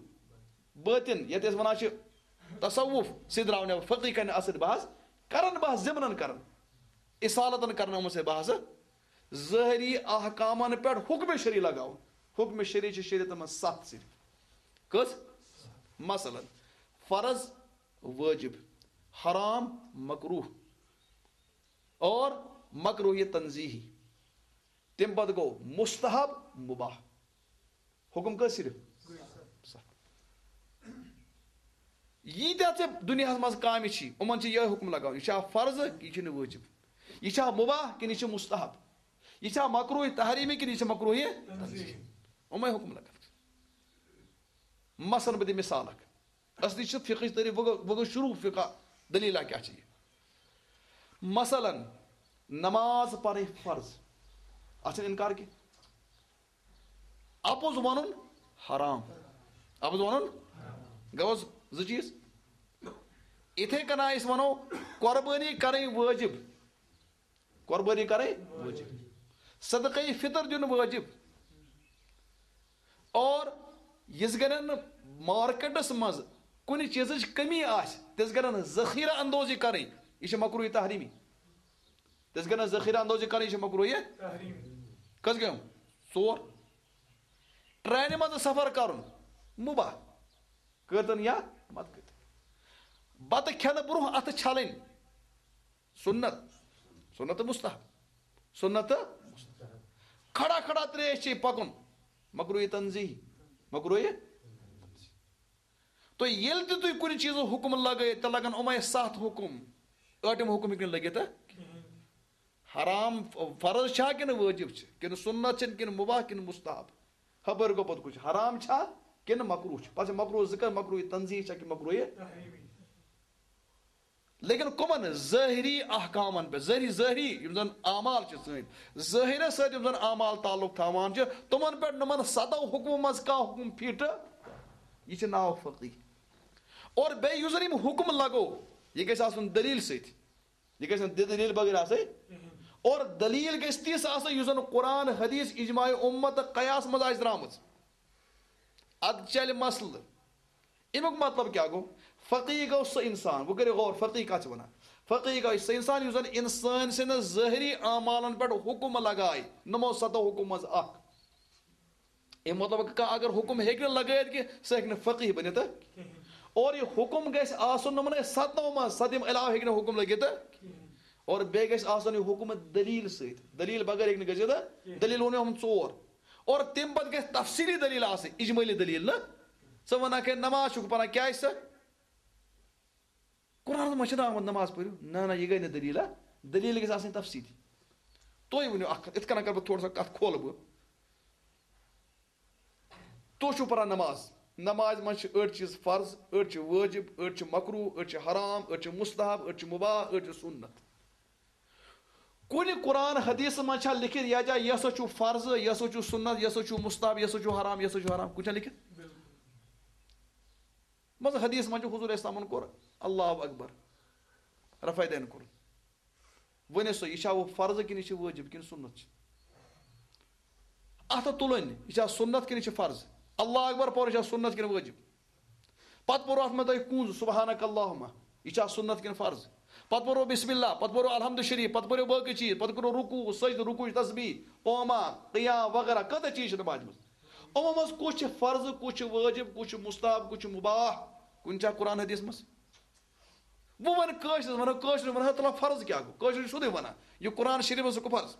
بٲطِن، یتھ أسۍ ونان چھِ تصوف، سُہ درٛاو نٮ۪بر۔ فقیٖح کرِ نہٕ اتھ سۭتۍ بحث، کرن بحث ضمنن کرن، اصالتن کرن یِمن سۭتۍ بحث۔ ظٲہری احکامن پٮ۪ٹھ حکم شرعی لگاوُن۔ حکم شرعی چھِ شریعتس منٛز ستھ صرف۔ کٔژ؟ مثلاً، فرض، وٲجب، حرام، مکروہ، اور مکروہ تنزیہی۔ تمہِ پتہٕ گوٚو مستحب، مباح۔ حکم کٔژ صرف؟ ستھ۔ ییٖتیٛاہ ژےٚ دُنیاہس منٛز کامہِ چھی، یِمن چھِ یِہوٚے حکم لگاوُن۔ یہِ چھا فرض، یہِ چھُنہٕ وٲجب؟ یہِ چھا مباح کِنہٕ یہِ چھُ مستحب؟ یہِ چھا مکروہ تحریمی کِنہٕ یہِ چھُ مکروہ تنزیہی؟ یِمے حکم لگان۔ مثلاً بہٕ دِمہٕ مثال اکھ۔ اصلی چھِ فقہٕچ تعریٖف، وۄنۍ گوٚو، وۄنۍ گوٚو شروع فقہ، دٔلیٖلہ کیٛاہ چھِ یہِ؟ مثلاً، نماز پرٕنۍ فرض، اتھ چھُنہٕ انکار کینٛہہ۔ اپُز ونُن حرام۔ اپُز ونُن گوٚوس زٕ چیٖز۔ یِتھے کٔنۍ أسۍ ونو قربٲنی کرٕنۍ وٲجب۔ قربٲنی کرٕنۍ وٲجب۔ صدقے فطر دیُن وٲجب۔ اور یِژھ گرن مارکیٹس منٛز کُنہِ چیٖزٕچ کمی آسہِ، تِژھ گرن ذخیرہ اندوزی کرٕنۍ، یہِ چھِ مکروہ تحریمی۔ تِژھ گرن ذخیرہ اندوزی کرٕنۍ، یہِ چھِ مکروہ۔ کٔژ گٔیِم؟ ژور۔ ٹرینہِ منٛز سفر کرُن مباح، کٔرتن یا مت کٔرتن۔ بتہٕ کھٮ۪نہٕ برونٛہہ اتھٕ چھلٕنۍ سنت، سنت تہٕ مستحب، سنت تہٕ مستحب۔ کھڑا کھڑا تریش چے پکُن، مکروہ تنزیہی۔ مکروہ۔ تو ییٚلہِ تہِ تُہۍ کُنہِ چیٖزُک حُکم لگٲیِو، تیٚلہِ لگن یِمے ستھ حُکم۔ ٲٹھِم حُکم ہیٚکہِ نہٕ لٔگِتھ، ہہ؟ حرام فرض چھا کِنہٕ وٲجِب چھِ، کِنہٕ سُنت چھِ، کِنہٕ مُباح، کِنہٕ مُستحب؟ خبر گوٚو پتہٕ کُچھ حرام چھا کِنہٕ مکروہ چھُ۔ پتہٕ چھِ مکروہ ذکر، مکروہ تنزیہ چھا کِنہٕ مکروہ؟ لیکن کمن؟ ظٲہری احکامن پٮ۪ٹھ، ظٲہری، ظٲہری یِم زن اعمال چھِ سٲنۍ، ظٲہرس سۭتۍ یِم زن اعمال تعلق تھاوان چھِ، تِمن پٮ۪ٹھ، یِمن ستو حُکمو منٛز کانٛہہ حُکم فِٹ، یہِ چھِ ناو فقیہ۔ اور بیٚیہِ یُس زن یِم حُکم لگو، یہِ گژھِ آسُن دلیل سۭتۍ، یہِ گژھِ نہٕ دِ-، دلیل بغٲر آسٕنۍ۔ اور دلیل گژھِ تِژھ آسٕنۍ یُس زن قرآن، حدیث، اجماع امت تہٕ قیاس منٛز آسہِ درامٕژ۔ ادٕ چلہِ مسلہٕ۔ امیُک مطلب کیٛاہ گوٚو؟ فقیہ گوٚو سُہ انسان، وۄنۍ کٔرِو غور، فقیہ کتھ چھِ ونان؟ فقیہ گوٚو سُہ انسان یُس زن انسان سٕنٛدِ ظٲہری اعمالن پٮ۪ٹھ حُکم لگایہِ، نمو ستو حُکم منٛز اکھ۔ امیُک مطلب، کانٛہہ اگر حُکم ہیٚکہِ نہٕ لگٲیِتھ کینٛہہ، سُہ ہیٚکہِ نہٕ فقیہ بٔنِتھ۔ اور یہِ حُکم گژھِ آسُن یِمنٕے ستنو منٛز، ستہٕ یِم علاوٕ ہیٚکہِ نہٕ حُکم لٔگِتھ۔ اور بیٚیہِ گژھِ آسُن یہِ حُکم دٔلیٖل سۭتۍ، دٔلیٖل بغٲر ہیٚکہِ نہٕ گٔژھِتھ۔ دٔلیٖل ووٚن مےٚ یِم ژور۔ اور تَمہِ پَتہٕ گژھِ تفصیٖلی دٔلیٖل آسٕنۍ، اجمٲلی دٔلیٖل نہٕ۔ ژٕ وَنکھ ہے نماز چھُکھ پَران، کیٛازِ سا؟ قرآنَس منٛز چھِنہٕ آمُت نماز پٔرِو۔ نہ، نہ، یہِ گٔے نہٕ دٔلیٖل، ہا؟ دٔلیٖل گژھِ آسٕنۍ تفصیٖلی۔ تُہۍ ؤنِو اَکھ کَتھ، یِتھ کٔنۍ کَرٕ بہٕ تھوڑا سا کَتھ کھولہٕ بہٕ۔ تُہۍ چھِو پَران نماز۔ نمازِ منٛز چھِ أڑۍ چیٖز فرض، أڑۍ چھِ وٲجِب، أڑۍ چھِ مکروہ، أڑۍ چھِ حرام، أڑۍ چھِ مستحب، أڑۍ چھِ مباح، أڑۍ چھِ سُنت۔ کُنہِ قرآن حدیث منٛز چھا لیکھِتھ، یا جا، یہِ ہسا چھُ فرض، یہِ ہسا چھُ سُنت، یہِ ہسا چھُ مستحب، یہِ ہسا چھُ حرام، یہِ ہسا چھُ حرام؟ کُنہِ چھا لیکھِتھ؟ مطلب، حدیث منٛز چھُ حضور اسلامن کوٚر، اللہ اکبر، رفع دین کوٚر۔ ؤنِو سا، یہِ چھا وۄنۍ فرض کِنہٕ یہِ چھِ وٲجِب کِنہٕ سُنت چھِ؟ اَتھٕ تُلٕنۍ، یہِ چھا سُنت کِنہٕ یہِ چھِ فرض؟ اللہ اکبر پَرُن چھا سُنت کِنہٕ وٲجِب؟ پتہٕ پوٚرو اتھ منٛز تۄہہِ کُنٛز سبحانک اللہم، یہِ چھا سُنت کِنہٕ فرض؟ پتہٕ پوٚرو بسم اللہ، پتہٕ پوٚرو الحمد شریف، پتہٕ پوٚرو باقٕے چیٖز، پتہٕ کوٚرو رکوع، سجدٕ، رکوع، تسبیح، قوما، قیام وغیرہ، کۭتیاہ چیٖز چھِ نمازِ منٛز۔ یِمو منٛز کُس چھِ فرض، کُس چھِ وٲجب، کُس چھِ مستحب، کُس چھِ مباح؟ کُنہِ چھا قرآن حدیث منٛز؟ وۄنۍ وَنہٕ کٲشرِس، وَنو کٲشرِس، وَنہٕ ہے تُلان فرض کیٛاہ گوٚو؟ کٲشرِس چھُ سیوٚدُے وَنان، یہِ قرآن شریٖفَس سُہ گوٚو فرض۔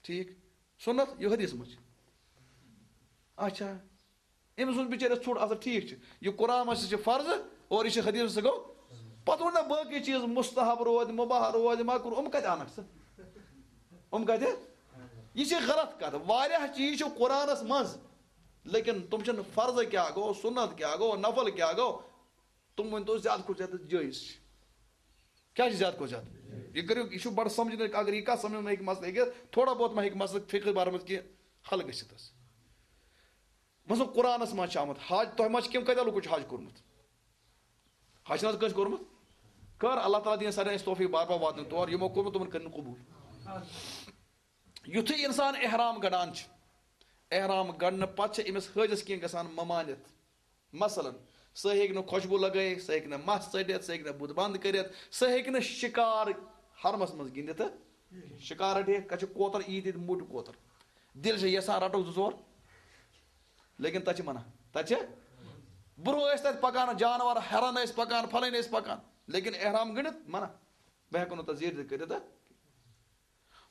ٹھیٖک؟ سُنت، یہِ حدیث منٛز چھِ۔ اچھا، أمۍ سُنٛد بِچٲرِس ژھوٚٹ اَصٕل، ٹھیٖک چھُ، یہِ قرآن منٛز چھِ فرض اور یہِ چھِ حدیث منٛز سُہ گوٚو۔ پَتہٕ ووٚن نہ باقٕے چیٖز مستحب روزِ، مباح روزِ، مکروہ، یِم کَتہِ اَنَکھ ژٕ؟ یِم کَتہِ؟ یہِ چھِ غلط کَتھ۔ واریاہ چیٖز چھِ قرآنَس منٛز، لیکن تِم چھِنہٕ فرض کیٛاہ گوٚو، سُنت کیٛاہ گوٚو، نفل کیٛاہ گوٚو، تِم ؤنۍ تو زیادٕ کھۄتہٕ زیادٕ جٲیِز چھِ۔ کیٛاہ چھِ زیادٕ کھۄتہٕ زیادٕ؟ یہِ کٔرِو، یہِ چھُ بَڑٕ سَمجھنہٕ، اگر یہِ کَتھ سَمجھنہٕ ہیٚکہِ مسلہٕ ہیٚکہِ، تھوڑا بہت ما ہیٚکہِ مسلہٕ فقہٕ بارَس منٛز کینٛہہ حل گٔژھِتھ حظ؟ مثلاً قرآنَس منٛز چھِ آمُت حج، تۄہہِ ما چھِ کیٚنٛہہ کَتہِ لوٗکو چھُ حج کوٚرمُت؟ حج چھِنہٕ حظ کٲنٛسہِ کوٚرمُت؟ کٔر، اللہ تعالیٰ دِیِن سارنٕے اَسہِ توفیٖق بار بار واتنہٕ تور، یِمو کوٚرمُت تِمَن کٔرِنۍ قبوٗل۔ یُتھُے اِنسان احرام گَڑان چھِ، احرام گَڑنہٕ پَتہٕ چھِ أمِس حٲجِس کینٛہہ گژھان ممانعت۔ مثلاً، سُہ ہیٚکہِ نہٕ خۄشبوٗ لگٲیِتھ، سُہ ہیٚکہِ نہٕ مَس ژٔٹِتھ، سُہ ہیٚکہِ نہٕ بُتھ بنٛد کٔرِتھ، سُہ ہیٚکہِ نہٕ شِکار حرمَس منٛز گِنٛدِتھ۔ شِکار رَٹہِ، کَتہِ چھُ کوتَر، عیٖد عیٖد موٚٹ کوتَر۔ دِل چھِ یَژھان رَٹو زٕ ژور، لیکن تَتہِ چھِ منع۔ تَتہِ چھِ، برٛونٛہہ ٲسۍ تَتہِ پَکان جانوَر، ہٮ۪رَن ٲسۍ پَکان، پھَلٲنۍ ٲسۍ پَکان، لیکن احرام گٔنٛڈِتھ منع۔ بہٕ ہٮ۪کو نہٕ تَتھ زیٖٹھِتھ کٔرِتھ۔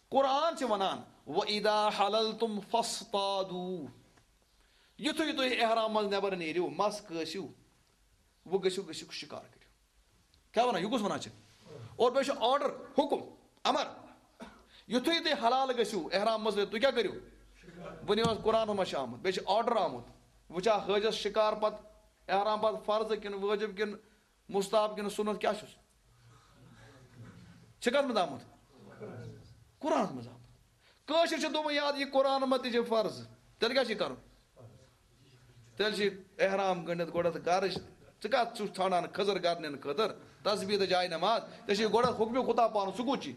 قرآن چھِ وَنان، "وَإِذَا حَلَلْتُمْ فَاصْطَادُوا"۔ یُتھُے تُہۍ احرام منٛز نٮ۪بر نیٖرِو، مَس کٲسِو، وۄنۍ گٔژھِو، گٔژھِو شِکار کٔرِو۔ کیٛاہ وَنان؟ یہِ کُس وَنان چھِ؟ اور بیٚیہِ چھُ order، حُکُم، اَمر۔ یُتھُے تُہۍ حلال گٔژھِو احرام منٛز، تُہۍ کیٛاہ کٔرِو؟ وٕنہِ اوس قرآنَس منٛز چھُ آمُت، بیٚیہِ چھُ order آمُت۔ وٕچھا حٲجَس شِکار پَتہٕ، احرام پَتہٕ فرض کِنہٕ وٲجِب کِنہٕ مستحب کِنہٕ سُنت کیٛاہ چھُس؟ چھِ کَتھ منٛز آمُت؟ قرآنَس منٛز آمُت۔ کٲشِر چھِ دوٚپمُت، یاد یہِ قرآن منٛز تہِ چھِ فرض، تیٚلہِ کیٛاہ چھِ کَرُن؟ تیٚلہِ چھِ احرام گٔنٛڈِتھ گۄڈٕ اَتھ گَرٕچ، ژٕ کَتھ چھُکھ ژھانٛڈان خٔزٕر گَرنٮ۪ن خٲطرٕ؟ تسبیح تہٕ جاے نماز، ژےٚ چھِ گۄڈٕ حُکمہِ خُدا پَرُن، سُہ کوٚت چھِ؟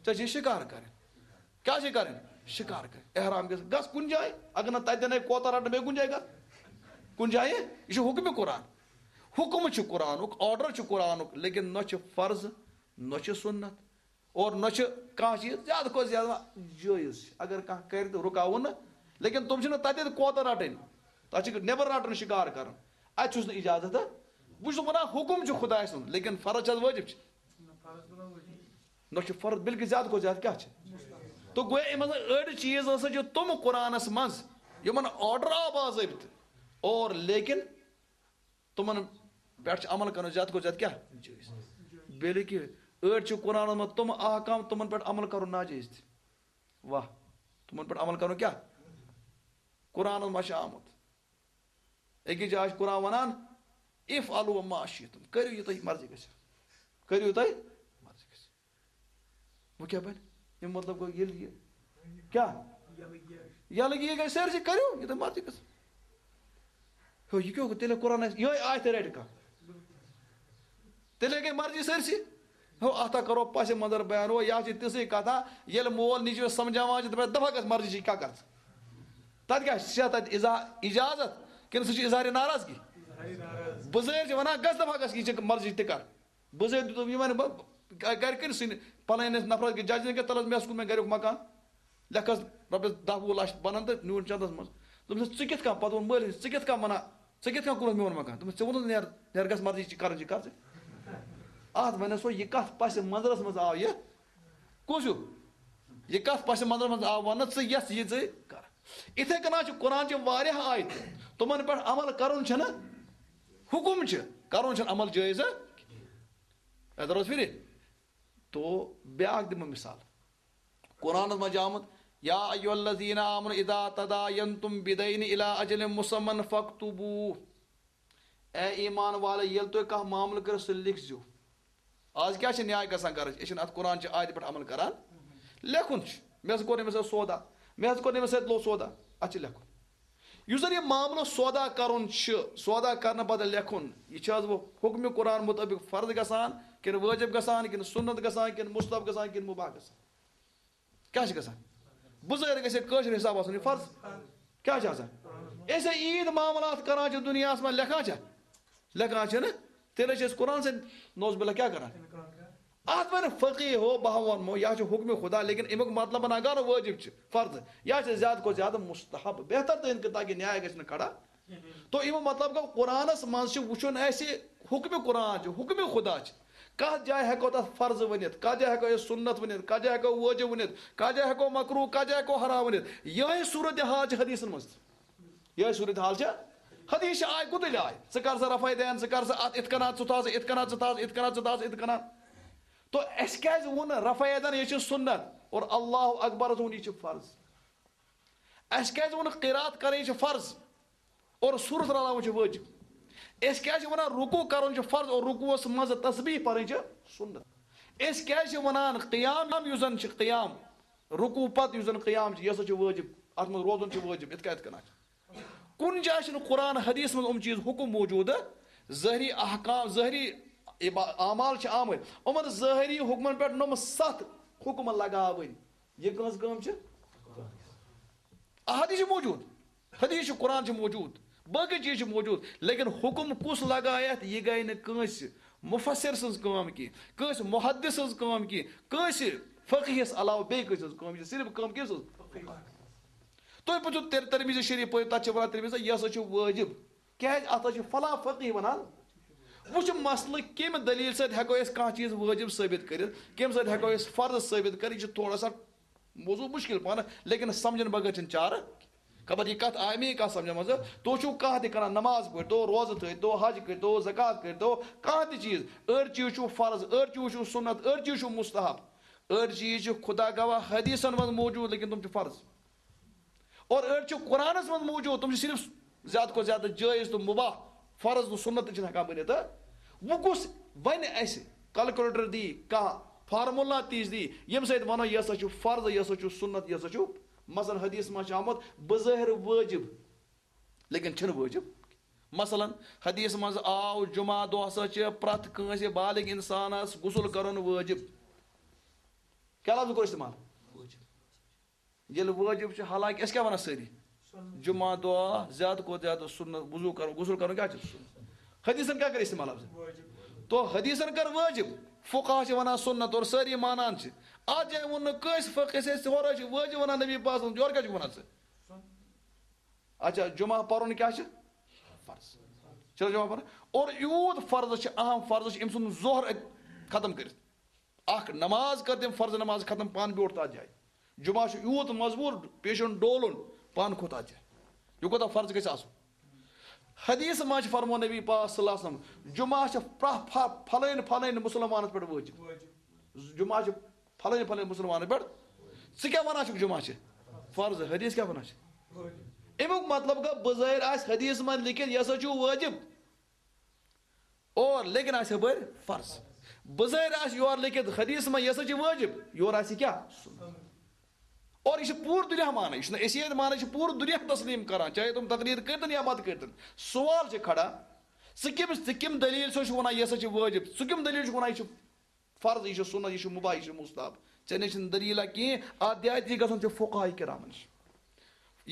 ژےٚ چھِ شِکار کَرٕنۍ۔ کیٛاہ چھِ کَرٕنۍ؟ شِکار کَرٕنۍ۔ احرام گژھِ، گژھ کُنہِ جایہِ، اگر نہٕ تَتہِ دِنے کوتَر رَٹنہٕ، بیٚیہِ کُنہِ جایہِ گژھ۔ کُنہِ جایہِ، یہِ چھُ حُکمِ قرآن۔ حُکم چھُ قرآنُک، order چھُ قرآنُک، لیکن نہ چھُ فرض، نہ چھُ سُنت، اور نہ چھُ کانٛہہ چیٖز زیادٕ کھۄتہٕ زیادٕ جٲیِز چھِ۔ اگر کانٛہہ کَرِ تہٕ رُکاوُن نہٕ، لیکن تِم چھِنہٕ تَتٮ۪تھ کوتَر رَٹٕنۍ، تَتھ چھِ نٮ۪بَر رَٹُن شِکار کَرُن، اَتہِ چھُس نہٕ اِجازت۔ بہٕ چھُس وَنان، حُکم چھُ خۄداے سُنٛد، لیکن فرض چھِ حظ وٲجِب چھِ؟ نہ چھُ فرض، بلکہِ زیادٕ کھۄتہٕ زیادٕ کیٛاہ چھِ؟ تہٕ گویا یِم ہسا أڑۍ چیٖز ہسا چھِ تِم قرآنَس منٛز، یِمن آرڈر آو باضٲبطہٕ، اور لیکن تِمن پٮ۪ٹھ چھُ عمل کرُن زیادٕ کھۄتہٕ زیادٕ کیٛاہ؟ جٲیِز۔ بلکہِ أڑۍ چھِ قرآنس منٛز تِم احکام، تِمن پٮ۪ٹھ عمل کرُن ناجٲیِز تہِ۔ واہ، تِمن پٮ۪ٹھ عمل کرُن کیٛاہ؟ قرآنس منٛز چھُ آمُت، أکِس جایہِ چھُ قرآن وَنان، "افعلوا ما شئتم"، کٔرِو یہِ تۄہہِ مرضی گژھِ، کٔرِو یہِ تۄہہِ مرضی گژھِ۔ وۄنۍ کیٛاہ بَنہِ؟ اَمیُک مطلب گوٚو ییٚلہِ یہِ کیٛاہ؟ یَلہٕ یہِ گژھِ سٲرسٕے، کٔرِو یہِ تۄہہِ مرضی گژھِ۔ ہیو، یہِ کیٛاہ گوٚو؟ تیٚلہِ قرآن آسہِ، یِہوٚے آیتہِ رَٹہِ کانٛہہ۔ تیٚلے گٔے مرضی سٲرسٕے۔ ہو، اَتھ ہا کَرو پَسِ منظر بیان، ہو، یہِ ہا چھِ تِژھٕے کَتھا، ییٚلہِ مول نیٚچوِس سمجھاوان چھِ، دَپان، "دَپان گژھ مرضی چھِ، کیٛاہ کَرٕ ژٕ؟" تَتھ کیٛاہ چھِ؟ چھا تَتہِ اِزا-، اِجازت کِنہٕ سُہ چھُ اظہارِ ناراضگی؟ بُزٲرۍ چھِ وَنان، "گژھ دَپان گژھ، یہِ چھِ مرضی تہِ کَر۔" بُزٲرۍ دیُتُم یہِ وَنہِ، بہٕ گَرِکٮ۪ن سٕنٛدِ پَلٲنِس نفرَس کہِ ججَن کہِ تَلَس مےٚ ہَس کوٚر مےٚ گَریُک مکان، لیکھَس رۄپیَس دَہ وُہ لَچھ بَنَن تہٕ نیوٗن چَندَس منٛز۔ دوٚپمَس، "ژٕ کِتھ کَنۍ؟" پَتہٕ ووٚن مٲلِس، "ژٕ کِتھ کَنۍ وَنان؟ ژٕ کِتھ کَنۍ کوٚرُتھ میون مکان؟" دوٚپمَس، "ژےٚ ووٚنُتھ نیر، نیر گژھ مرضی چھِ کَرٕنۍ چھِ کَر ژٕ۔" اَتھ وَنٮ۪س وۄنۍ یہِ کَتھ پَسہِ منظرَس منٛز آو یہِ۔ کُس ہیوٗ؟ یہِ کَتھ پَسہِ منظرَس منٛز آو وَننہٕ، "ژٕ یَژھ یہِ ژٕ کَر۔" اِتھَے کٔنۍ چھِ قرآن چہِ واریاہ آیتہٕ، تِمَن پٮ۪ٹھ عمل کَرُن چھُنہٕ حُکُم چھِ، کَرُن چھُنہٕ عمل جٲیِز۔ اَتہِ روز پھِرِ۔ تو بیٛاکھ دِمہٕ مثال۔ قرآنَس منٛز چھِ آمُت، "یا ایھا الذین آمنوا اذا تداینتم بدین الی اجل مسمی فاکتبوہ۔" اے ایمان والے، ییٚلہِ تُہۍ کانٛہہ معاملہٕ کٔرِو، سُہ لیکھزیو۔ آز کیٛاہ چھِ نیاے گژھان گرٕچ؟ أسۍ چھِنہٕ اَتھ قرآن چہِ آیتہِ پٮ۪ٹھ عمل کران۔ لیکھُن چھُ، "مےٚ حظ کوٚر أمِس سۭتۍ سودا، مےٚ حظ کوٚر أمِس سۭتۍ لوٚو سودا۔" اَتھ چھِ لیکھُن۔ یُس زَن یہِ معاملہٕ سودا کرُن چھُ، سودا کرنہٕ پتہٕ لیکھُن، یہِ چھِ حظ وۄنۍ حُکمِ قرآن مُطٲبِق فرض گژھان، کِنہٕ وٲجِب گژھان، کِنہٕ سُنت گژھان، کِنہٕ مُستحب گژھان، کِنہٕ مُباح گژھان؟ کیٛاہ چھِ گژھان؟ بُزٲرۍ گژھِ کٲشِر حساب آسُن یہِ فرض۔ کیٛاہ چھِ آسان؟ أسۍ ہے عیٖد معاملات کران چھِ دُنیاہَس منٛز، لیکھان چھا؟ لیکھان چھِنہٕ۔ تیٚلہِ چھِ أسۍ قرآن سۭتۍ نوز باللہ کیٛاہ کران؟ اَتھ وَنہِ فقیٖح ہو، بہٕ ہا وَنمو، یہِ ہا چھُ حُکمِ خدا، لیکن اَمیُک مطلب نہ گوٚو نہٕ وٲجِب چھِ، فرض۔ یہِ ہا چھِ زیادٕ کھۄتہٕ زیادٕ مُستحب۔ بہتر تہٕ اِنکہِ تاکہِ نیاے گژھِ نہٕ کھڑا۔ تو اَمیُک مطلب گوٚو، قرآنَس منٛز چھِ وٕچھُن اَسہِ حُکمِ قرآن چھُ، حُکمِ خدا چھُ۔ کَتھ جایہِ ہٮ۪کو تَتھ فرض ؤنِتھ، کَتھ جایہِ ہٮ۪کو أسۍ سُنت ؤنِتھ، کَتھ جایہِ ہٮ۪کو وٲجِب ؤنِتھ، کَتھ جایہِ ہٮ۪کو مکروٗہ، کَتھ جایہِ ہٮ۪کو حرام ؤنِتھ۔ یِہوٚے صوٗرت حال چھِ حدیثَن منٛز تہِ۔ یِہوٚے صوٗرت حال چھِ حدیث چھِ آے گُتٕلۍ آے۔ ژٕ کر سا رفع دین، ژٕ کر سا اَتھ اِتھ کٔنۍ، ژٕ تھاو سا اِتھ کٔنۍ، ژٕ تھاو سا اِتھ کٔنۍ۔ تو اَسہِ کیٛازِ ووٚن رفع دین یہِ چھِ سُنت اور اللہ اکبرس ووٚن یہِ چھِ فرض؟ اَسہِ کیٛازِ ووٚن قرات کرٕنۍ چھِ فرض اور سورت رلاوٕنۍ چھِ وٲجِب؟ أسۍ کیٛازِ چھِ وَنان رکوع کرُن چھُ فرض اور رکوعس منٛز تسبیح پرٕنۍ چھِ سُنت؟ أسۍ کیٛازِ چھِ وَنان قیام یُس زن چھِ قیام، رکوع پتہٕ یُس زن قیام چھِ، یہِ ہسا چھُ وٲجِب، اتھ منٛز روزُن چھُ وٲجِب، یِتھ کٔنۍ، یِتھ کٔنۍ چھِ۔ کُنہِ جایہِ چھُنہٕ قرآن حدیث منٛز یِم چیٖز حُکم موجوٗدٕ، ظٲہری احکام، ظٲہری عبا-، اعمال چھِ آمٕتۍ، یِمن ظٲہری حُکمن پٮ۪ٹھ نۄم ستھ حُکم لگاوٕنۍ۔ یہِ کٕہٕنٛز کٲم چھِ؟ احادیث چھِ موجود، حدیث چھُ، قرآن چھُ موجود، باقی چیٖز چھِ موجود، لیکن حکم کُس لگایتھ، یہِ گٔے نہٕ کٲنٛسہِ مفسر سٕنٛز کٲم کینٛہہ، کٲنٛسہِ محدث سٕنٛز کٲم کینٛہہ، کٲنٛسہِ فقیہس علاوٕ بیٚیہِ کٲنٛسہِ ہٕنٛز کٲم۔ یہِ چھِ صرف کٲم کٔمۍ سٕنٛز؟ تۄہہِ پٔرۍزیو تر-، ترمذی شریف پٔرِو، تتھ چھِ ونان ترمذی، یہِ ہسا چھُ وٲجب۔ کیازِ؟ اتھ ہسا چھُ فلاں فقیہ ونان۔ وۄنۍ چھُ مسلہٕ، کمہِ دلیل سۭتۍ ہٮ۪کو أسۍ کانٛہہ چیٖز وٲجب ثٲبت کٔرِتھ، کمہِ سۭتۍ ہٮ۪کو أسۍ فرض ثٲبت کٔرِتھ؟ یہِ چھُ تھوڑا سا موضوع مشکل پانہٕ، لیکن سمجھن بغٲر چھِنہٕ چارٕ۔ خبر یہِ کتھ آیہِ مےٚ یہِ کتھ سمجھن منٛز؟ تُہۍ چھِو کانٛہہ تہِ کران، نماز پٔرۍتو، روزٕ تھٲیتو، حج کٔرۍتو، زکوٰۃ کٔرۍتو، کانٛہہ تہِ چیٖز۔ أڑۍ چیٖز چھُو فرض، أڑۍ چیٖز چھُو سُنت، أڑۍ چیٖز چھُو مستحب، أڑۍ چیٖز چھِ خدا گواہ حدیثن منٛز موجود، لیکن تِم چھِ فرض۔ اور أڑۍ چھِ قرآنس منٛز موجود، تِم چھِ صرف زیادٕ کھۄتہٕ زیادٕ جٲیز تہٕ مباح، فرض تہٕ سُنت تہِ چھِنہٕ ہٮ۪کان بٔنِتھ۔ وۄنۍ کُس ونہِ اسہِ، کیلکولیٹر دی کانٛہہ، فارمولا تیٖژ دی، ییٚمہِ سۭتۍ ونو، یہِ ہسا چھُ فرض، یہِ ہسا چھُ سُنت، یہِ ہسا چھُ، مثلاً، حدیث منٛز چھُ آمُت بظٲہر وٲجب، لیکن چھُنہٕ وٲجب۔ مثلاً، حدیث منٛز آو، جمعہ دۄہ ہسا چھِ پرٛٮ۪تھ کٲنٛسہِ بالغ انسانس غسل کرُن وٲجب۔ کیٛاہ لفظ کوٚر استعمال؟ وٲجب۔ ییٚلہِ وٲجب چھُ، حالانکہ أسۍ کیٛاہ وَنان سٲری؟ جمعہ دۄہ زیادٕ کھۄتہٕ زیادٕ سُنت وضوٗ کَرُن، غسل کَرُن کیٛاہ چھُ؟ سُنت۔ حدیثن کیٛاہ کٔر استعمال اَتھ منٛز؟ تو حدیثن کٔر وٲجب، فقہا چھِ وَنان سُنت اور سٲری مانان چھِ۔ اَتھ جایہِ ووٚن نہٕ کٲنٛسہِ فقہس، أسۍ ہورٕ چھِ وٲجب وَنان نبی پاک صلی اللہ علیہ وسلم، یورٕ کیٛاہ چھُکھ وَنان ژٕ؟ اچھا، جمعہ پَرُن کیٛاہ چھُ؟ فرض۔ چھُنہ جمعہ پَرُن؟ اور یوٗت فرض چھُ، اہم فرض چھُ، أمۍ ژھُن ظہر اَتہِ ختم کٔرِتھ۔ اکھ نماز کٔر تٔمۍ فرض نماز ختم، پانہٕ بیوٗٹھ تتھ جایہِ۔ جمعہ چھُ یوٗت مضبوٗط، پیشن ڈولُن، پانہٕ کھوٚت تتھ جایہِ۔ یہِ کوٗتاہ فرض گژھِ آسُن؟ حدیث منٛز چھِ فرموو نبی پاک صلی اللہ علیہ وسلم، جمعہ چھِ پرٛ-، پھَ-، پھلٲنۍ پھلٲنۍ مُسلمانَس پٮ۪ٹھ وٲجِب۔ جمعہ چھِ پھلٲنۍ پھلٲنۍ مُسلمانَس پٮ۪ٹھ۔ ژٕ کیٛاہ وَنان چھُکھ جمعہ چھِ فرض؟ حدیث کیٛاہ وَنان چھِ؟ اَمیُک مطلب گوٚو بظٲہِر آسہِ حدیث منٛز لیکھِتھ، یہِ ہسا چھُ وٲجِب۔ اور لیکن آسہِ ہُپٲرۍ فرض۔ بظٲہر آسہِ یورٕ لیکھِتھ حدیث منٛز، یہِ ہسا چھِ وٲجِب، یورٕ آسہِ کیٛاہ؟ سُنت۔ اور یہِ چھِ پوٗرٕ دُنیا مانان، یہِ چھُنہٕ أسی یٲتۍ مانان، یہِ چھِ پوٗرٕ دُنیا تسلیٖم کران، چاہے تِم تقریر کٔرۍتن یا مت کٔرۍتن۔ سوال چھِ کھڑا، ژٕ کٔمِس، ژٕ کٔمۍ دٔلیٖل چھُکھ وَنان یہِ ہسا چھِ وٲجِب؟ ژٕ کٔمۍ دٔلیٖل چھُکھ وَنان یہِ چھِ فرض، یہِ چھُ سُنت، یہِ چھُ مُباح، یہِ چھُ مُستحب؟ ژےٚ نِش چھِنہٕ دٔلیٖلہ کینٛہہ، اَتھ دِیا ژےٚ گژھُن چھُ فقہاء کرامن نِش۔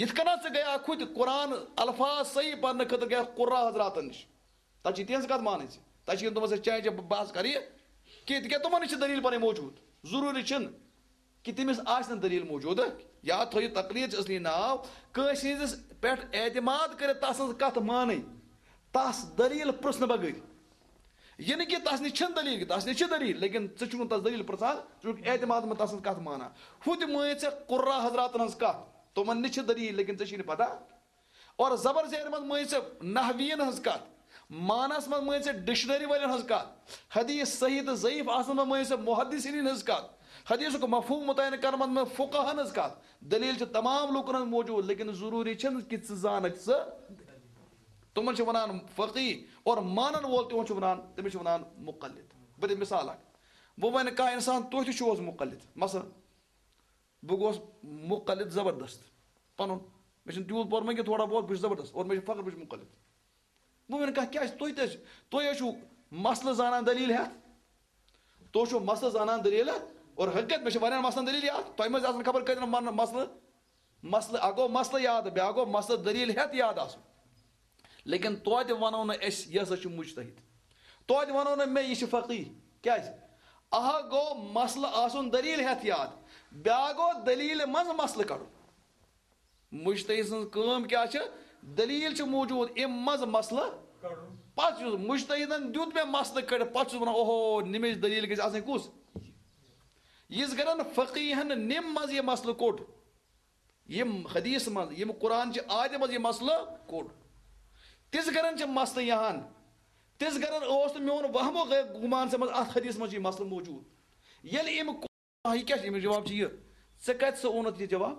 یِتھ کٔنۍ ژٕ گٔیاکھ ہُتہِ قرآن الفاظ صحیح پرنہٕ خٲطرٕ گٔیاکھ قُرّا حضراتن نِش، تَتہِ چھِ تِہنٛز کَتھ مانٕنۍ ژےٚ، تَتہِ چھِ یِم تِمن سۭتۍ چاے چے بحث کَرٕ یہِ کینٛہہ، تِکیٛازِ تِمن نِش چھِ دٔلیٖل پَنٕنۍ موجوٗد۔ ضروٗری چھِنہٕ کہِ تٔمِس آسہِ نہٕ دٔلیٖل موجوٗد۔ یاد تھٲیِو، تقریر چھِ اصلی ناو کٲنٛسہِ ہٕنٛدِس پٮ۪ٹھ اعتماد کٔرِتھ تَس سٕنٛز کَتھ مانٕنۍ، تَس دٔلیٖل پرٛژھنہٕ بغٲر۔ یہِ نہٕ کہِ تَس نِش چھِنہٕ دٔلیٖل، کہِ تَس نِش چھِ دٔلیٖل، لیکن ژٕ چھُکھ نہٕ تَس دٔلیٖل پرٛژھان، ژٕ چھُکھ اعتماد منٛز تَس سٕنٛز کَتھ مانان۔ ہُہ تہِ مٲنۍ ژےٚ قُرّا حضراتَن ہٕنٛز کَتھ، تِمَن نِش چھِ دٔلیٖل، لیکن ژےٚ چھِی نہٕ پَتہ۔ اور زبر زیر منٛز مٲنۍ ژےٚ نحویٖیَن ہٕنٛز کَتھ، معنَس منٛز مٲنۍ ژےٚ ڈکشنری والٮ۪ن ہٕنٛز کَتھ، حدیث صحیح تہٕ ضعیف آسنَس منٛز مٲنۍ ژےٚ محدثیٖنَن ہٕنٛز کَتھ، حدیثُک مفہوم متعین کرنَس منٛز فقہَن ہٕنٛز کَتھ۔ دٔلیٖل چھِ تمام لوٗکَن ہٕنٛز موجوٗد، لیکن ضروٗری چھِنہٕ کہِ ژٕ زانَکھ ژٕ۔ تِمَن چھِ وَنان فقیہ، اور مانَن وول تِمَن چھِ وَنان، تٔمِس چھِ وَنان مُقلِد۔ بہٕ دِمہٕ مثال اَکھ۔ وۄنۍ وَنہِ کانٛہہ اِنسان، تُہۍ تہِ چھِو حظ مُقلِد؟ مثلاً، بہٕ گوس مُقلِد زبردست پَنُن، مےٚ چھُنہٕ تیوٗت پوٚرمُت کینٛہہ، تھوڑا بہت، بہٕ چھُس زبردست اور مےٚ چھُ فخر، بہٕ چھُس مُقلِد۔ بہٕ وَنہٕ کانٛہہ، کیٛازِ تُہۍ تہِ حظ چھِ، تُہۍ حظ چھِو مسلہٕ زانان دٔلیٖل ہٮ۪تھ، تُہۍ چھِو مسلہٕ زانان دٔلیٖل ہٮ۪تھ، اور حقیقت مےٚ چھِ واریاہَن مسلَن دٔلیٖل یاد، تۄہہِ منٛز آسَن خبر کۭتیٛاہ من-، مسلہٕ، مسلہٕ، اَکھ گوٚو مسلہٕ یاد، بیٛاکھ گوٚو مسلہٕ دٔلیٖل ہٮ۪تھ یاد آسُن۔ لیکن توتہِ وَنو نہٕ أسۍ، یہِ ہسا چھُ مُجتہِد۔ توتہِ وَنو نہٕ مےٚ، یہِ چھُ فقیہ۔ کیٛازِ؟ اَکھ گوٚو مسلہٕ آسُن دٔلیٖل ہٮ۪تھ یاد، بیٛاکھ گوٚو دٔلیٖلہِ منٛز مسلہٕ کَڑُن۔ مُجتہِد سٕنٛز کٲم کیٛاہ چھِ؟ دٔلیٖل چھِ موجوٗد، اَمہِ منٛز مسلہٕ۔ پَتہٕ یُس مُجتہِدَن دیُت مےٚ مسلہٕ کٔڑِتھ، پَتہٕ چھُس وَنان، اوہو، نِمِچ دٔلیٖل گژھِ آسٕنۍ کُس؟ یِژھ گرَن فقیٖہَن نِم منٛز یہِ مسلہٕ کوٚڑ، یِم حدیث منٛز، یِم قرآن چہِ آیتہِ منٛز یہِ مسلہٕ کوٚڑ۔ تِژھ گرن چھِ مسلہٕ یِہان، تِژھ گرن اوس نہٕ میون وہمو غیر گُمان سمجھ اتھ حدیث منٛز چھُ یہِ مسلہٕ موجود۔ ییٚلہِ أمۍ کو-، یہِ کیٛاہ چھُ؟ أمِس جواب چھُ یہِ، ژےٚ کتہِ سا اوٚنُتھ یہِ جواب؟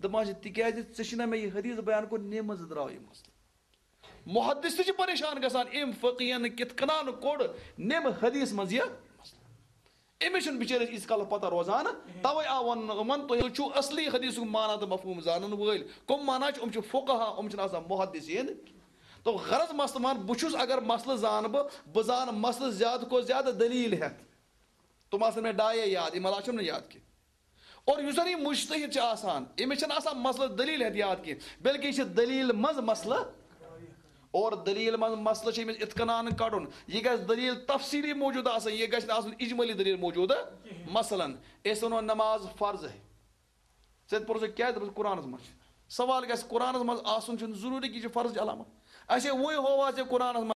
دپان چھِ، تِکیٛازِ ژےٚ چھُنہ مےٚ یہِ حدیث بیان کوٚرمُت، نمہِ منٛزٕ درٛاو یہِ مسلہٕ۔ محدث تہِ چھِ پریشان گژھان، أمۍ فقیہن کِتھ کٔنۍ کوٚڑ نمہِ حدیث منٛز یہِ مسلہٕ۔ أمِس چھُنہٕ بِچٲرِس ییٖتِس کالس پتہ روزان، توے آو وننہٕ یِمن، تُہۍ چھِو اصلی حدیثُک معنی تہٕ مفہوم زانن وٲلۍ۔ کم معنی چھِ؟ یِم چھِ فقہا، یِم چھِنہٕ آسان محدثین۔ تو غرض مسلہٕ مان، بہٕ چھُس اگر مسلہٕ زانہٕ بہٕ، بہٕ زانہٕ مسلہٕ زیادٕ کھۄتہٕ زیادٕ دلیٖل ہٮ۪تھ۔ تِم آسن مےٚ ڈایے یاد، یِم علاوٕ چھِم نہٕ یاد کینٛہہ۔ اور یُس زن یہِ مجتہد چھُ آسان، أمِس چھُنہٕ آسان مسلہٕ دلیٖل ہٮ۪تھ یاد کینٛہہ، بلکہِ یہِ چھِ دلیٖل منٛز مسلہٕ۔ اور دلیٖل منٛز مسلہٕ چھُ أمِس اِتقنان کڑُن۔ یہِ گژھِ دلیٖل تفصیٖلی موجود آسٕنۍ، یہِ گژھِ نہٕ آسُن اجمٲلی دلیٖل موجودٕ۔ مثلاً، أسۍ وَنو نماز فرض ہے۔ ژےٚ تہِ پوٚرُتھ کیٛازِ؟ دوٚپُس، قرآنس منٛز چھِ۔ سوال گژھِ، قرآنس منٛز آسُن چھُنہٕ ضروٗری کہِ یہِ چھُ فرضٕچ علامت۔ اَسے وۄنۍ ہووا ژےٚ قرآنس منٛز